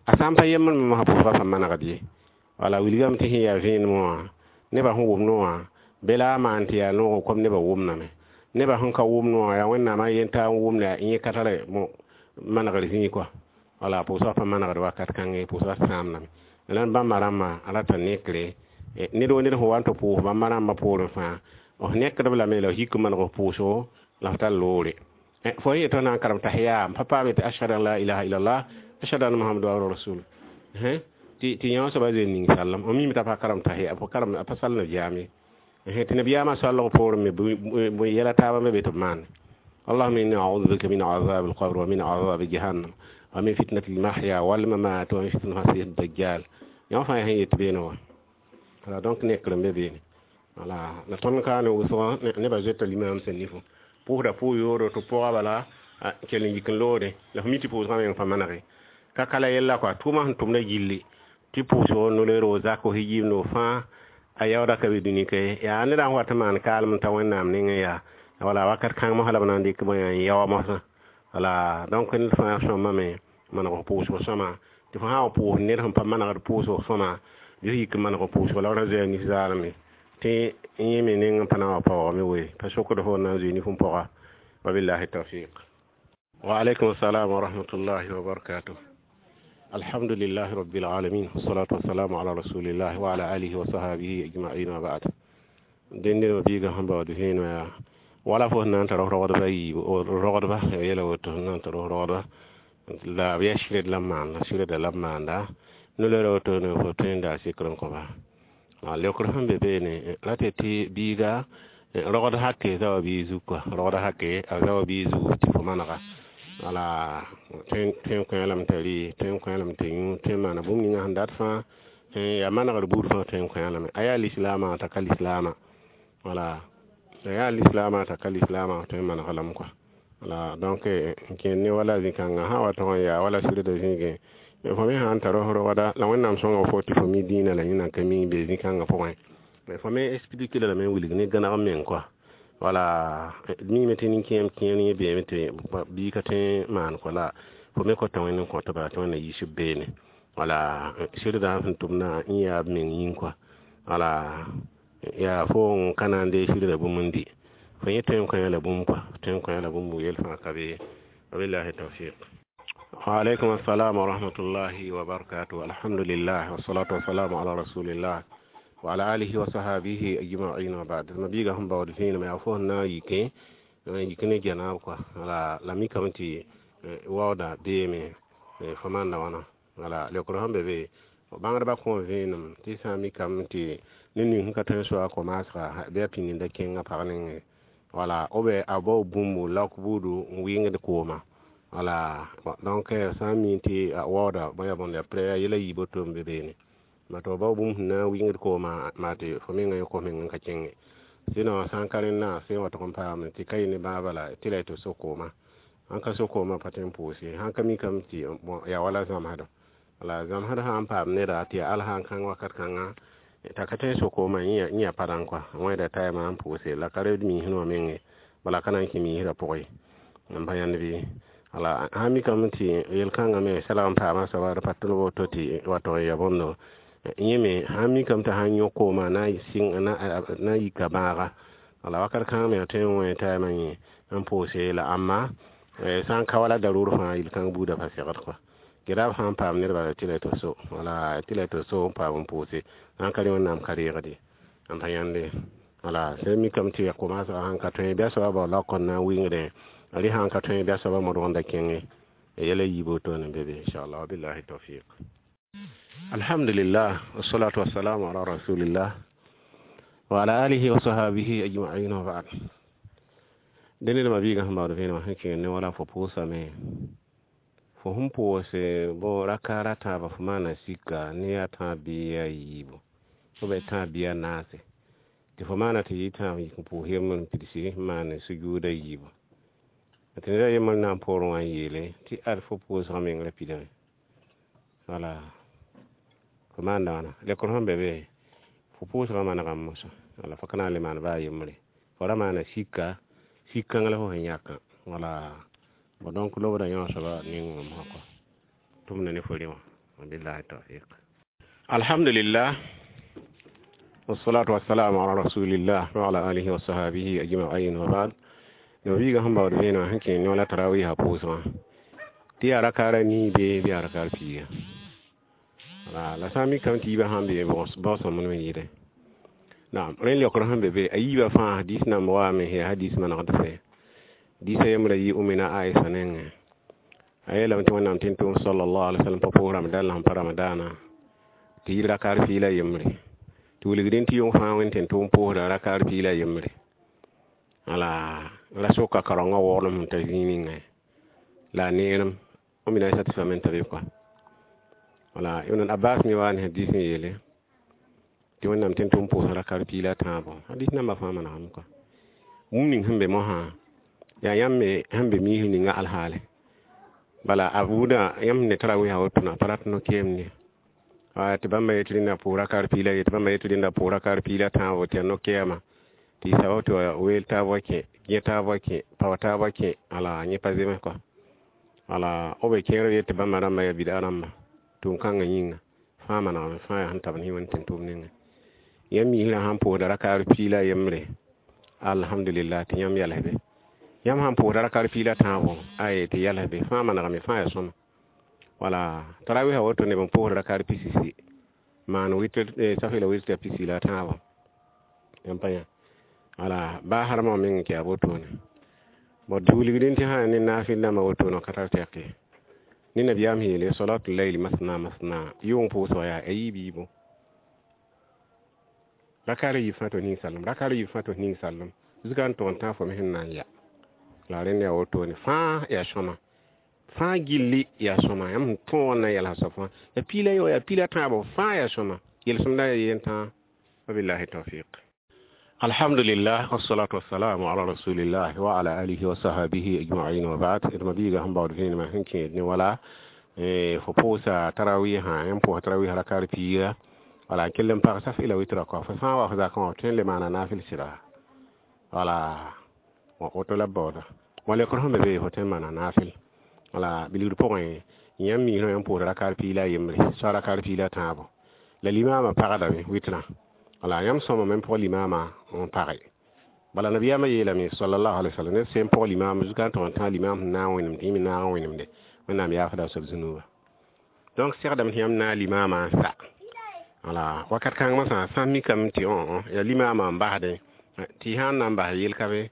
a sã n pa yembre me mosã pʋʋsgã pa manegd ye. Wala wilgame tɩ sẽn yaa vẽenem wã nebã sẽn wʋm wã bɩ la a maan tɩ yaa noogo kom nebã wʋmdame, nebã sẽn ka wʋmd wã yaa Wẽnnaamã yentã n wʋmda yẽ ka tare manegr zĩig kɔa. Wala pʋʋsgã pa manegd wakat kãngẽ pʋʋsgã sãamdame la bãmba rãmbã a rata nekre ned wa ned sẽn wa n tɩ pʋʋs bãmba rãmbã poorẽ fãa f nekdb lame la f yik n maneg f pʋʋsgo la f tar loore fo yetɩ f na n karem tahiya pa paame tɩ ashhadu an la ilaha illallah ashhadu anna muhammadan rasul tɩ yã soaba zoe ning sallem f mime t'a pa karem tahiya a pa sall nabiyaam ye tɩ nabiyaamã soalg poorẽ me bõe yɛla taabã me be tɩ b maane allahuma inni audu bika min azab alqabr wa min azab jahannam wa min fitnati almahya walmamat wa min fitnati almasih dajjal yã fãa sẽn yet beene wã. Wala donc nekr n be beene. Wala la tõnd kaane wʋsg nebã zoeta limam sẽn nifo pʋʋsda pʋʋ yoodo tɩ pʋga bala kell n yik n loode la f mi tɩ pʋʋsgã meng pa manege ka kala yella kɔa tʋʋmã sẽn tʋmda gilli tɩ pʋʋsgo noleero zak f yiimdo fãa a yaooda ka be dũni ka ye yaa ned n wat n maan kaalem n ta Wẽnnaam nengẽ yaa wala wakat kãng mosã la b na n dɩk bõe n yao mosã. Wala donc ned fãa sõmame maneg f pʋʋsg sõma tɩ fo sã n wa pʋʋs ned sẽn pa manegd pʋʋsg sõma bɩ f yik n maneg f pʋʋsg la f ra zoea nif zaalme tɩ yẽ me neng n pa na n wa paoogame woe pa sokd fo na n zoe nif n pʋga. Wabillahi tawfiq. Wa alaikum assalam wa rahmatullahi wa barakatuh. Alhamdulillahi rabbil alamin wassalatu wassalamu ala rasulillah wa ala alihi wa sahbihi ajma'in wa ba'd. Dẽnd d mabiigã sẽn baood vẽenemã yaa wala fo sẽn na n tar f rogdba yiibu, rogdba ya yɛla woto sẽn na n tar f rogdba la b yaa sɩred la b maanda, sɩreda la b maanda no-loeera woto ne fo tõe n daa sɩkr n kõ-ba. Leokr sẽn be beene ra tɩ tɩ biiga rogd hake zaoã biig zug kɔa, rogd hake a zaoã biig zugu tɩ fo manega. Wala tõe n kõ-a lame t'a rɩ, tõe n kõ-a lame t'a yũ, tõe n maana bũmb ninga sẽn dat fãa, yaa manegr buud fãa tõe n kõ-a lame. A yaa lislaamã t'a ka lislaamã, wala a yaa lislaamã t'a ka lislaamã, tõe n maneg-a lame kɔa. Wala donc n kẽed ne wala zĩ-kãngã sã n wa tog n yaa wala sɩrda zĩigẽ, fo me sã n tar f rogda la Wẽnnaam sõnga fo tɩ fo mi dĩinã la yẽ nan ka mi be zĩ-kãngã pʋgẽ, fo me explique la lame n wilg ne gãneg meng kɔa. Wala d miime tɩ nin-kẽem kẽer yẽ beeme tɩ bɩ ka tõe n maan kɔ la fo me kota Wẽnd n kõt-ba tɩ Wẽnd na yiis b beene. Wala sɩrda sẽn tʋmdã yẽ yaa b meng yĩng kɔa. Wala yaa fo n ka na n deeg sɩrda bũmb n dɩ, fo yẽ tõe n kõ-a la bũmb kɔa, tõe n kõ-a la bũmb yel fãa ka be. Wabillahi tawfiq. Wa alaikum assalam wa rahmatullahi wa barakatuh. Alhamdulillah wassalatu wassalamu ala rasulillah wa ala alihi wa sahabihi ajma'in wa ba'd. Mabiiga sẽn baood vẽenem yaa fo sẽn na n yike yik ne janaab kɔa. Wala la mikame tɩ waooda beeme fo maanda wãna. Wala leokr sẽn be be bãngdbã kõ vẽenem tɩ sã n mikame tɩ ned ning sẽn ka tõe n soa ko-maasga bɩ a pĩnd da kẽng a pag nengẽ. Wala ou bien a bao bũmbu laok buudu n wɩngd kooma. Wala donc sã n mi tɩ a waooda bõe ya bõnd ya prɛ yɛla yiib woto n be beene. Maa tɩ f bao bũmb sẽn na n wɩngd koomã maa tɩ fo mengã yẽ kos meng n ka kẽnge. Sinon sã n ka rẽndã sẽn wa tog n paam tɩ ka yẽ ne bãaba la tɩ la tɩ so koomã. Sãn ka so koomã pa tõe n pʋʋs ye, sãn ka mikame tɩ bon yaa wala zãmsdɔ. Wala zãmsd sã n paam neda tɩ yaa al sã n kãng wakat kãngã t'a ka tõe n so koomã yẽ yaa pa dãn kɔa, wẽeda taɩmã n pʋʋse la ka reed miisd wã menge, bala ka na n kẽ miisdã pʋgẽ ye. M pa yãnd bɩ? Wala sã n mikame tɩ yel-kãngã me sɛlg n paama soaba d pa tʋlg woto tɩ wa tog n yaa bõndo, yẽ me sã n mikame t'a sãn yõk koomã na n yika bãaga, wala wakat kãng me a tõe n wẽ taɩmã yẽ n pʋʋse la ãmba sã n ka wala darʋʋr fãa yel-kãng buudã pa segd kɔa. Gera b sã n paam nedba tɩ la tɩ so, wala tɩ la tɩ so n paam n pʋʋse, sã n ka rẽ Wẽnnaam ka reegd ye. M pa yãnde. Wala sẽn mikame tɩ ko-maasgã sãn ka tõe bɩ a soaba bao laok n na n wɩngdẽ, rẽ sãn ka tõe bɩ a soaba modg n da kẽnge. Yɛla yiib woto n be be inchallah. Wabillahi tawfiq. Alhamdulillah wassalatu wassalamu ala rasulillah wa ala alihi wa sahabihi ajma'in wa ba'd. Dẽnd d mabiigã sẽn baood vẽenemã sẽn kẽng ne wala fo pʋʋsame, fo sẽn pʋʋse bõ raka ra tãabã fo maana sika ne yaa tãab bɩ yaa yiibu ou bien tãab bɩ yaa naase, tɩ fo maana tɩ yɩ tãab yik n pʋʋs yembr n pidsi n maan sujuuda yiibu. Tɩ ned a yembr na n poorẽ wã n yeele tɩ ad fo pʋʋsgã meng ra pidame. Wala fo maanda wãna lekr sẽn be be fo pʋʋsgã manegame mosã. Wala fo ka na n le maan baa yembre, fo ra maana sika, sik-kãng la fo sẽn yãkã. Wala bon donc lobda yõ soaba ning wã kɔ tʋmda ne fo rẽ wã. Wabillahi tawfiq. Alhamdulillah wassalatu wassalamu ala rasulillah wa ala alihi wa sahabihi ajma'in wa ba'd. Mabiigã sẽn baood vẽenemã sẽn kẽ ne wala tarawiisã pʋʋsgã tɩ yaa rakaara nii bee bɩ yaa rakaar piiga. Wala la sã n mikame tɩ yiibã sãn be baoosãmb n yɩɩdẽ. Naam, rẽ leokr sẽn be be a yiibã fãa hadis namba waame yaa hadis manegd fɛ. Diisã yembra yɩ Umina Aisha nengẽ. A yeelame tɩ Wẽnnaam tẽn-tʋʋm sallallahu alaihi wasallam pa pʋʋs Ramadan la sẽn pa Ramadaanã tɩ yɩ rakaar piig la yembre. Tɩ wilgdẽ tɩ yʋng fãa Wẽnd tẽn-tʋʋm pʋʋsda rakaar piig la yembre. Wala la soka kaorengã waoolem sẽn ta zĩig ningẽ la a neerem Umina Aisha tɩ soame n ta be kɔa. Wala Ibn Abbas me wa ne hadis n yeele tɩ Wẽnnaam tẽn-tʋʋm pʋʋsã rakaar piig la tãabo. Hadis nambã fãa manegame kɔa. Bũmb ning sẽn be mosã yaa yãmb me sẽn be miisd ninga alhaale. Bala a buudã yãmb ne tarawiisã woto pa rat no-keem ye. Tɩ bãmba yetɩ rẽnda pʋʋs rakaar piig la ye, tɩ bãmba yetɩ rẽnda pʋʋs rakaar piig la tãabo tɩ yaa no-kɛɛma. Tɩ y sabab tɩ wa weel taab wa kẽ, yẽ taab wa kẽ, pao taab wa kẽ, ala yẽ pa zems kɔa. Wala b be kẽer yetɩ bãmba rãmbã yaa bida rãmba tʋʋm-kãngã yĩnga fãa manegame fãa yaa sẽn tab ne Wẽnd tẽn-tʋʋm nengẽ. Yãmb miisrã sãn pʋʋsda rakaar piig la yembre, alhamdulillah tɩ yãmb yɛls be. Yãmb sãn pʋʋsda rakaar piig la tãabo, ay tɩ yɛls be, fãa manegame fãa yaa sõma. Wala tarawiisã woto neb n pʋʋsd rakaar pisisi maan witr safɩ la witr pisi la tãabo. Yãmb pa yã. Wala baa harmã meng tɩ yaa wotone. Bon tɩ wilgdẽ tɩ sã ne naafɩl dãmbã wotone ka tar tɛk ye. Ne nabiyaam sẽn yeele salatu layli masna masna, yʋng pʋʋsg yaa a yiib yiibu. Rakaar a yiib fãa tɩ f ning sallem, rakaar a yiib fãa tɩ f ning sallem, zugã n tʋg n tãag fo me sẽn na n ya. La rẽnd yaa wotone fãa yaa sõma, fãa gilli yaa sõma, yãmb sẽn tõog n na n yɛlsa soab fãa yaa piila yo, yaa piila tãabo, fãa yaa sõma, yel-sõmda yaa yeen tãa. Wabillahi tawfiq. Alhamdulillah, wassalatu wassalamu ala rasulillah wa ala alihi wa sahbihi ajma'in wa ba'd. D mabiiga sẽn baood vẽenemã sẽn kẽed ne wala fo pʋʋsa tarawihã, yãmb pʋʋsa tarawih rakar piiga, wala n kell n pag saf ila witra kɔ, fo sã n wa fo zakã wã, f tõe n le maana naafɩl sɩda, wala woto la b baooda. Wa lekr sẽn be be, fo tõe n maana naafɩl. Wala bilgr pʋgẽ, yãmb miisã yãmb pʋʋsa rakar piila yembre, soa rakar piila tãabo, la limaamã pagdame witrã. Wala yãmb sõmame n pʋg limaamã n page. Bala nabiyaamã yeelame sallallahu alaihi wasallam, ned sẽn pʋg limaam zugã n tʋg n tãag limaam sẽn naag wẽnem tɩ yẽ me naag n wẽnemde, Wẽnnaam yaafda a soab zũnuuba. Donc segdame tɩ yãmb naag limaamã n sa. Wala wakat kãng masã sã n mikame tɩ yaa limaamã n basdẽ, tɩ sã n na n bas yel ka be.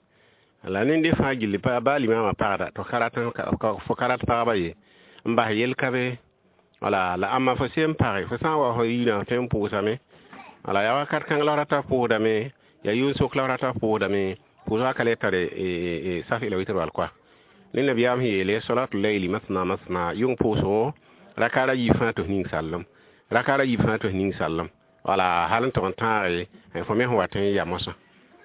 La nende fãa gilli baa limaamã pagda tɩ fo ka rat pagba ye n bas yel ka be. Wala la ãmba fo sẽn page, fo sã n wa fo yirã tõe n pʋʋsame. Wala yaa wakat kãng la f rata pʋʋsdame, yaa yʋʋn-sok la f rata pʋʋsdame, pʋʋsgã ka le tare saf ila witr wal koa. Ne nabiyaam sẽn yeele salatu layli masna masna, yʋng pʋʋsgo rakaar a yiib fãa tɩ f ning sallem, rakaar a yiib fãa tɩ f ning sallem. Wala hal n tʋg n tãage fo me sẽn wat n ya mosã.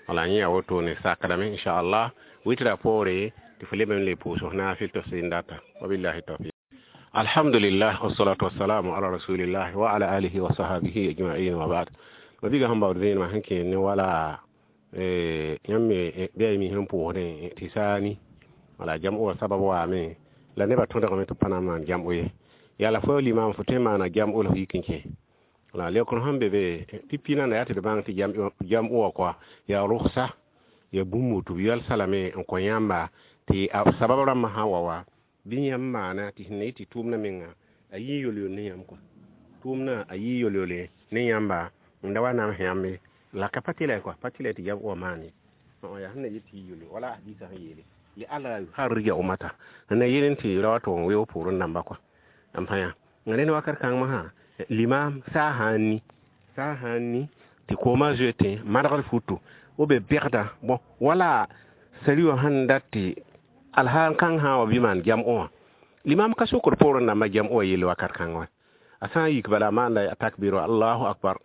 Wala yẽ yaa wotone sakdame inchallah witra poore tɩ fo leb n le pʋʋs f naafɩl tɩ f sẽn data. Wabillahi tawfiq. Alhamdulillah, wassalatu wassalamu ala rasulillah wa ala alihi wa sahbihi ajma'in wa ba'd. Mabiiga sẽn baood vẽenemã sẽn kẽed ne wala yãmb me bɩ a mi sẽn pʋʋsdẽ tɩ saani. Wala jam'o wã sabab waame la nebã tõdgame tɩ b pa na n maan jam'o ye. Yaa la fo limaam fo tõe n maana jam'o la f yik n kẽ. Wala leokr sẽn be be pipi nanda yaa tɩ d bãng tɩ jam'o wã koa yaa rʋgsa, yaa bũmb woto b yalsa lame n kõ yãmba tɩ a sabab rãmbã sã n wa wa bɩ yãmb maana tɩ sẽn na yɩ tɩ tʋʋmdã menga a yɩ yol-yol ne yãmb kɔa. Tʋʋmdã a yɩ yol-yole ne yãmba n da wa nams yãmb ye. La ka pa tɩ la kɔa, pa tɩ la tɩ jam'o wã maan ye. Yaa sẽn na yet tɩ yɩ yol wala hadisa sẽn yeele li alla yuharrija ummata, sẽn na yel n tɩ ra wa tʋg n weoog poorẽ dãmba kɔa. N pa yã rẽnd wakat kãng masã limaam saa sã n ni, saa sã n ni tɩ koomã zoetẽ madgd futu b be bɛgda. Bõ wala sari wã sẽn dat tɩ alhaal kãng sã n wa bɩ maan jam'o wã, limaam ka sokd poorẽ dãmbã jam'o wã yell wakat kãng wã. A sã n yik bala a maanda a takbir wa allahu akbar.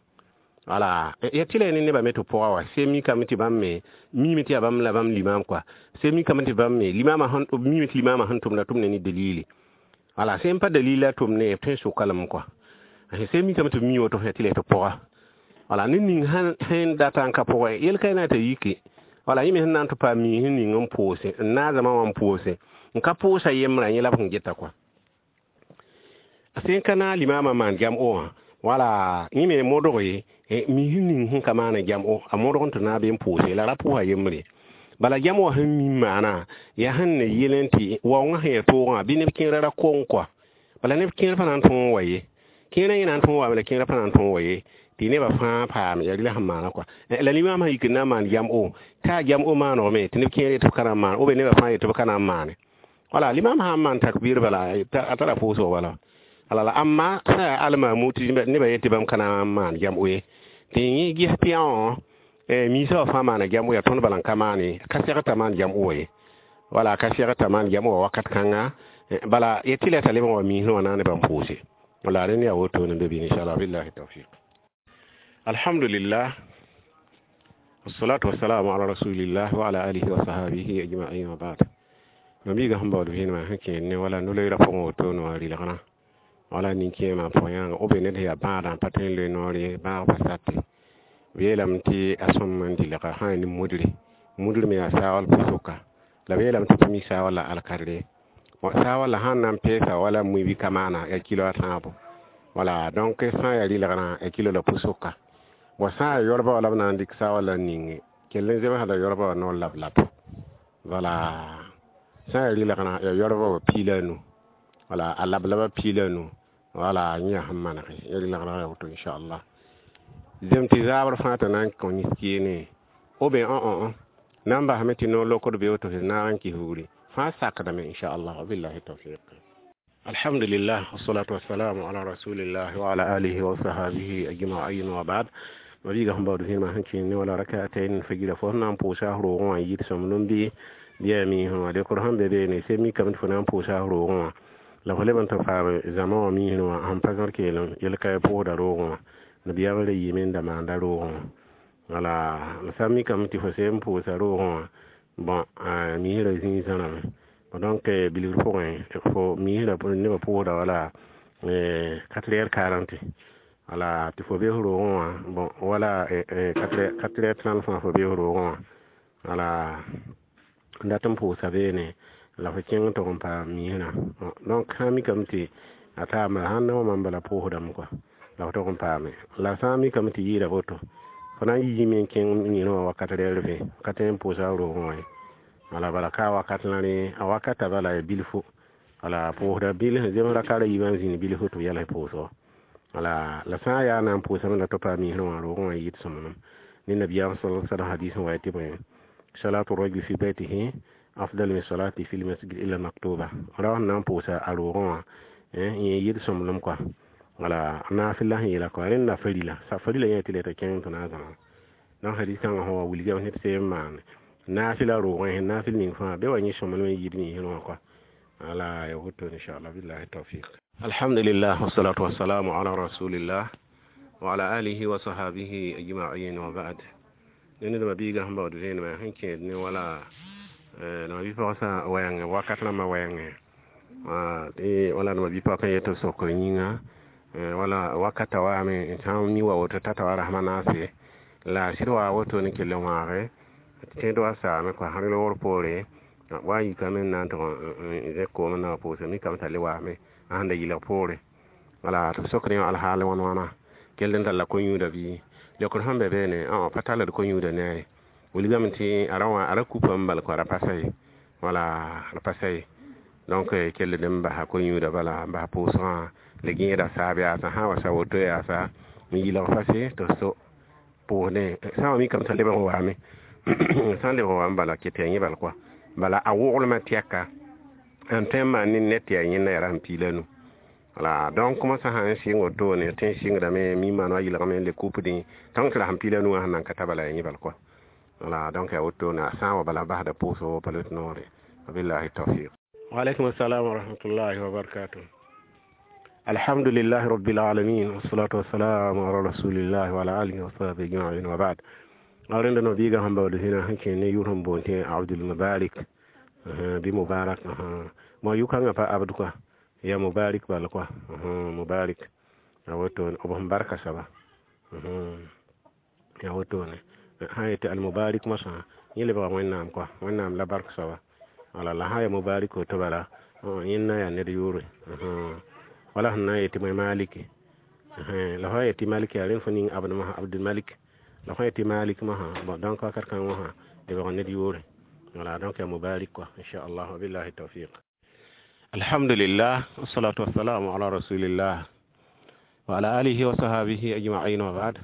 Wala ya tɩ la ya ne nebã me tɩ pʋga wa sẽn mikame tɩ bãmb me miime tɩ yaa bãmb la bãmb limaam kɔa, sẽn mikame tɩ bãmb me limaamã miime tɩ limaamã sẽn tʋmda tʋmda ne dalili. Wala sẽn pa dalil la tʋmne b tõe n soka lame kɔa. Sẽn mikame tɩ b mi woto tɩ la tɩ pʋga. Wala ned ning sẽn data n ka pʋgẽ yel ka na t'a yike. Wala yẽ me sẽn na n tɩ paam miis n ning n pʋʋse n naag zãma wã n pʋʋse n ka pʋʋsa yembrã yẽ la b sẽn geta kɔa. Sẽn ka naag limaamã maan jam'o wã, wala yẽ me modg ye miis ning sẽn ka maana jam'o a modg n tɩ naag be n pʋʋse la ra pʋʋsa yembre. Bala jam'o wã sẽn mim maana yaa sẽn na yel n tɩ waoongã sẽn yaa toogã bɩ neb kẽerã ra kong kɔa. Bala neb kẽer pa na n tõog n wa ye, kẽerã yẽ na n tõog wame la kẽerã pa na n tõog wa ye tɩ nebã fãa paam yaa rɩla sẽn maana kɔa. La limaam sã yik n na n maan jam'o t'a jam'o maanegme tɩ neb kẽer yetɩ b ka na n maan ou bien nebã fãa yetɩ b ka na n maane. Wala limaam sã n maan takbir bala a tara pʋʋsg bala. Ala la ãmba sã yaa almaamu tɩ nebã yetɩ bãmb ka na n maan jam'o ye tɩ yẽ ges tɩ yã miisã wã fãa maana jam'o yaa tõnd bala n ka maane, ka segd t'a maan jam'o wã ye. Wala ka segd t'a maan jam'o wã wakat kãnga, bala ya tɩ la t'a lebg n wa miisẽ wã na nebã n pʋʋse. Wala rẽnd yaa wotone n be bɩ inchallah billahi tawfiq. Alhamdulillah, wassalatu wassalamu ala rasulillah wa ala alihi wa sahbihi ajma'in wa ba'd. Mabiiga sẽn baood vẽenemã sẽn kẽed ne wala no-loeerã pʋgẽ wotone wã rɩlgrã wala nin-kẽemã pʋgẽ yãnga b be ned sẽn yaa bãadã n pa tõe n loe noor ye, bãag pa sate b yeelame tɩ a sõm n dɩlga sã n yaa ne mudre, mudr me yaa saawal pʋsʋka la b yeelame tɩ pa mi saawal la alkadre. Bon saawal la sãn na n peesa wala mui bɩ ka maana yaa kilo a tãabo. Wala donc sã n yaa rɩlgrã yaa kilo la pʋsʋka. Bon sã n yaa yorbã wã la b na n dɩk saawal la n ninge kell n zemsda yorbã wã noor lab lab. Wala sã n yaa rɩlgrã yaa yorbã wã piila nu, wala a lab laba piila nu. Wala yẽ yaa sẽn manege ya rɩlgrã yaa woto inchallah. Zem tɩ zaabr fãa t'a na n kõ nis-keene Ou bien na n basame tɩ noor lokd be woto f naag n kis bugri fãa sakdame, inchallah. Wabillahi tawfiq. Alhamdulillah, wassalatu wassalamu ala rasulillah wa ala alihi wa sahabihi ajma'in wa ba'd. Ma-biigã sẽn baood vẽenemã sẽn kẽer ne wala rakatayn fajira, fo sẽn na n pʋʋsa f roogẽ wã yit sõmblem bɩ yaa miisẽ wã lekr sẽn be beene sẽn mikame tɩ fo na n pʋʋsa f roogẽ wã la fo leb n tɩ paam zãma wã miisẽ wã sẽn pa zãr keelem yel-ka pʋʋsda roogẽ wã nabiyaam ra yiime n da maanda roogẽ wã. Wala la sã n mikame tɩ fo sẽn n pʋʋsa roogẽ wã, bõn miisrã zĩig zãrame. Donc bilgr pʋgẽ fo miisrã nebã pʋʋsda wala 4 heures 40, wala tɩ fo be f roogẽ wã, bon, wala 4 heures 30 fãa fo be f roogẽ wã, wala n dat n pʋʋsa beene la fo kẽng n tog n paam miisrã. Donc sã n mikame tɩ a taam sãn na wã mam bala pʋʋsdame kɔa la fo tog n paame. La sã n mikame tɩ yɩɩda woto, fo na n yiime n kẽng miisrã wã wakat rɛɛr vẽ ka tõe n pʋʋsa f roogẽ wã ye. Wala bala ka wakat la rẽ a wakata bala ya bilfu, wala pʋʋsda bil sẽn zems raka ra yiibã n zĩnd bilfu tɩ b yɛls pʋʋsgo. Wala la sã n yaa na n pʋʋsame la tɩ paam miisrã wã roogẽ wã yɩɩd sõmblem ne nabiyaam sal sallam hadis n wa tɩ bõe salatu rajul fi baytihi afdal min salati fi lmasjid illa maktuba. Ra sẽn na n pʋʋsa a roogẽ wã yẽ yɩɩd sõmblem kɔa. Wala naafɩl la sẽn yeela kɔa rẽnda farila sa farila yẽ tɩ le t'a kẽng tɩ na n zãma. Donc hadis kãngã sẽn wa wilgame tɩ sẽn maan naafɩla roogẽ sẽn naafɩl ning fãa be wa yẽ sõmblem n yɩɩd miisrã wã kɔa. Wala ya woto, inchallah, billahi tawfiq. Alhamdulillah, wassalatu wassalamu ala rasulillah wa ala alihi wa sahabihi ajma'in wa ba'd. Ned ma biigã sẽn baood vẽenemã sẽn kẽed ne wala la bi-pagsã wɛɛngẽ wakat rãmbã wɛɛngẽ wala ma bi-pag n yet sokr yĩnga wala wakata waame sã n mi wa woto tata wa rasmã naase la sɩd wa woto ne kell n wãage tẽed wa saame kɔa sã loogr poore wa yikame n na n tʋg n zẽk koom n na wa pʋʋsa mikame t'a le waame a sẽn da yɩlg poore. Wala tɩ b sokd yã alhaal wãn wãna kell n talla ko-yũuda bɩ lekr sẽn be beene pa tall d ko-yũuda ne a ye wilgame tɩ a ra wã a ra kupa n bal kõ a ra pa sa ye, wala ra pa sa ye. Donc kell d n basa ko-yũuda bala n bas pʋʋsgã la gẽeda saab yaasã sã n wa sa woto yaasa n yɩlg fase tɩ so pʋʋsdẽ sã n wa mikame t'a lebg n waame sã n lebg n waame bala ket yaa yẽ bal kɔa bala a woglmã tɛka n tõe n maan ne ned tɩ yaa yẽnda yaa rasem piig la nu. Wala donc moasã sã n sɩng wotone tõe n sɩngdame mi maan wa yɩlgame n le kupdẽ tõng tɩ rasem piig la nu wã sẽn nan ka ta bala yaa yẽ bal kɔa. Wala donc yaa wotone a sã n wa bala basda pʋʋsgo pa lot noore. Wabillahi tawfiq. Waaleykum assalam wa rahmatullahi wa barakatuh. Alhamdulillahi rabbil alamin, wassalatu wassalamu ala rasulillahi wa ala alihi wa sahbihi ajma'in wa ba'd. Rẽnda no biigã sẽn baood zĩna sẽn kẽer ne yʋr sẽn boond tɩ Abdul Mubarak bɩ Mubarak mo yʋ-kãngã pa Abd kɔa ya Mubarak bal kɔa Mubarak ya wotone b sẽn barka soaba ya wotone sã n yetɩ Almubarak mosã yẽ lebga Wẽnnaam kɔa Wẽnnaam la bark soaba. Wala la sã n ya Mubarak woto bala yẽnda yaa ned yʋʋre wala sẽn na n yetɩ Maliki la fo yetɩ Malik yaa rẽnd fo ning Abd mosã Abdul Malik la fo yetɩ Malik mosã bon donc wakat kãng wã lebg ned yʋʋre. Wala donc ya Mubarak kɔa, inchallah, wabillahi tawfiq. Alhamdulillah, wassalatu wassalamu ala rasulillah wa ala alihi wa sahabihi ajma'in wa ba'd.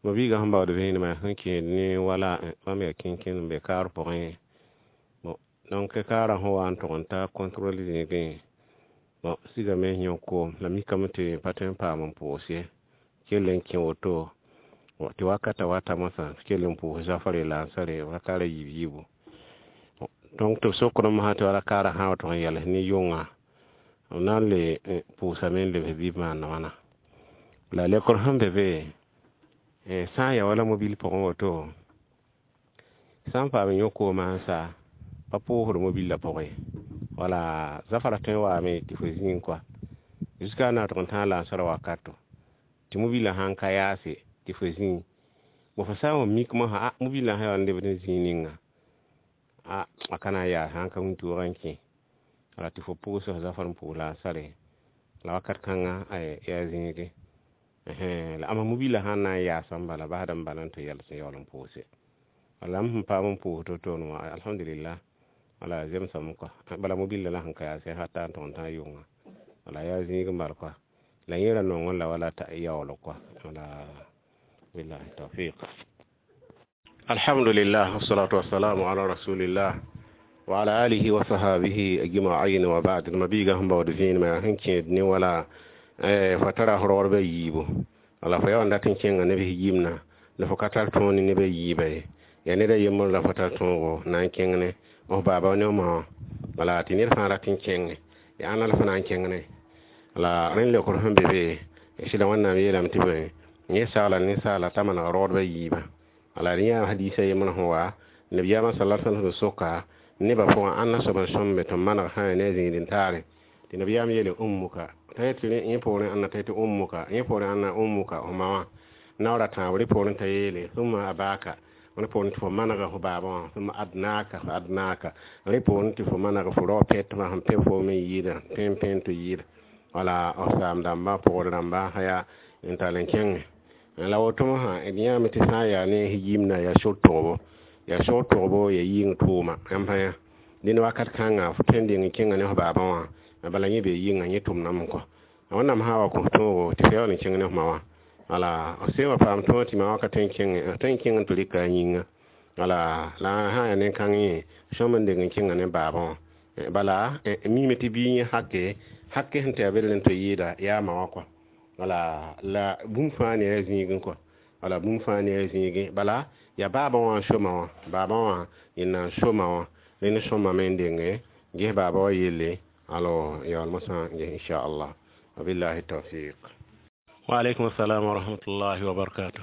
Ma biigã sẽn baood vẽenemã sẽn kẽed ne wala bãmb yaa kẽnkẽ n be kaar pʋgẽ. Bon, donc kaarã sẽn wa n tʋg n ta contrôle zĩigẽ, bon, sigame yõk koom la mikame tɩ pa tõe n paam n pʋʋs ye kell n kẽ woto tɩ wakata wata mosã kell n pʋʋs zafare la n sare rakaara yiib yiibu. Donc tɩ b sokd mosã tɩ wala kaarã sã n wa tʋg n yɛls ne yʋnga b na n le pʋʋsame n lebs bɩ b maana wãna la lekr sẽn be be sã n ya wala mobil pʋgẽ woto sã n paam yõk koomã n sa pa pʋʋsd mobillã pʋgẽ wala zafara tõe n waame tɩ fo zĩig kɔa jusqu'à na tʋg n tãag lansara wakato tɩ mobillã sãn ka yaase tɩ fo zĩig bõ fo sã n wa mik mosã a mobillã sã yaa n lebd n zĩig ninga a ka na n yaas sãn ka wĩntoogã n kẽ wala tɩ fo pʋʋs f zafar n pʋʋs lansare la wakat kãngã yaa zĩige la ama mobillã sãn na n yaasã n bala basd n bala n tɩ yɛls n yaool n pʋʋse. Wala m sẽn paam n pʋʋs to-toone wã alhamdulillah wala zemsame kɔa bala mobillã la sẽn ka yaase hata n tʋg n tãag yʋnga wala yaa zĩig n bal kɔa la yẽ ra nongẽ la wala t'a yaool kɔa. Wala billahi tawfiq. Alhamdulillah, wassalatu wassalamu ala rasulillah wa ala alihi wa sahabihi ajma'in wa ba'd. Mabiga sẽn baood vẽenemã yaa sẽn kẽed ne wala fo tara f raoodbã yiibu. Wala fo yaa n dat n kẽnga neb yimna la fo ka tar tõog ne nebã yiibã ye. Yaa ned a yembr la fo tar tõogo na n kẽng ne f baaba ne f ma wã. Wala tɩ ned fãa rat n kẽnge, yaa ãnna la fo na n kẽng ne? La rẽnd leokr sẽn be be, sɩda Wẽnnaam yeelame tɩ bõe, yẽ sagla ninsaala t'a maneg raoodbã yiibã. Wala rẽ yaa hadiisã yembr sẽn wa nabiyaamã sala sallam sẽn soka nebã pʋgã ãnna soab n sõmbe tɩ maneg sã ya ne a zĩig-n-taare. Tɩ nabiyaam yeele ummuka, t'a yetɩ yẽ poorẽ ãnna t'a yetɩ ummuka, yẽ poorẽ ãnna ummuka, f ma wã. Naoor a tãab rẽ poorẽ t'a yeele thumma abaka, rẽ poorẽ tɩ fo manega f baaba wã, thumma adnaka fa adnaka, rẽ poorẽ tɩ fo maneg fo rao pɛtmã sẽn pẽ foom n yɩɩda, pẽ pẽ tɩ yɩɩda. Wala f saam dãmba, pʋgd rãmba sã yaa n tall n kẽnge. La woto mosã d yãame tɩ sã n yaa ne yimna yaa sor togbo, yaa sor togbo ya yɩng tʋʋma yãmb sã yã. Dẽnd wakat kãnga fo tõe n deng n kẽnga ne f baabã wã, bala yẽ bee yɩnga yẽ tʋmdame kɔ. Wẽnnaam sã n wa kõ tõogo tɩ fo yaool n kẽng ne f ma wã. Wala f sẽn wa paam tõog tɩ ma wã ka tõe n kẽnge, tõe n kẽng n tɩ rɩka a yĩnga. Wala la sã n yaa nen-kãng yẽ sõm n deng n kẽnga ne baabã wã. Bala miime tɩ biig yẽ hake, hake sẽn tɩ yaa bel n tɩ yɩɩda yaa ma wã kɔ. Wala la bũmb fãa ne a zĩigẽ kɔ. Wala bũmb fãa ne a zĩigẽ. Bala yaa baabã wã n soma wã, baabã wã yẽnda n soma wã. Rẽnd sõmame n denge ges baaba wã yelle, alors yaool mosã n ges inchallah. Wabillahi tawfiq. Wa alaykum assalam wa rahmatullahi wa barakatuh.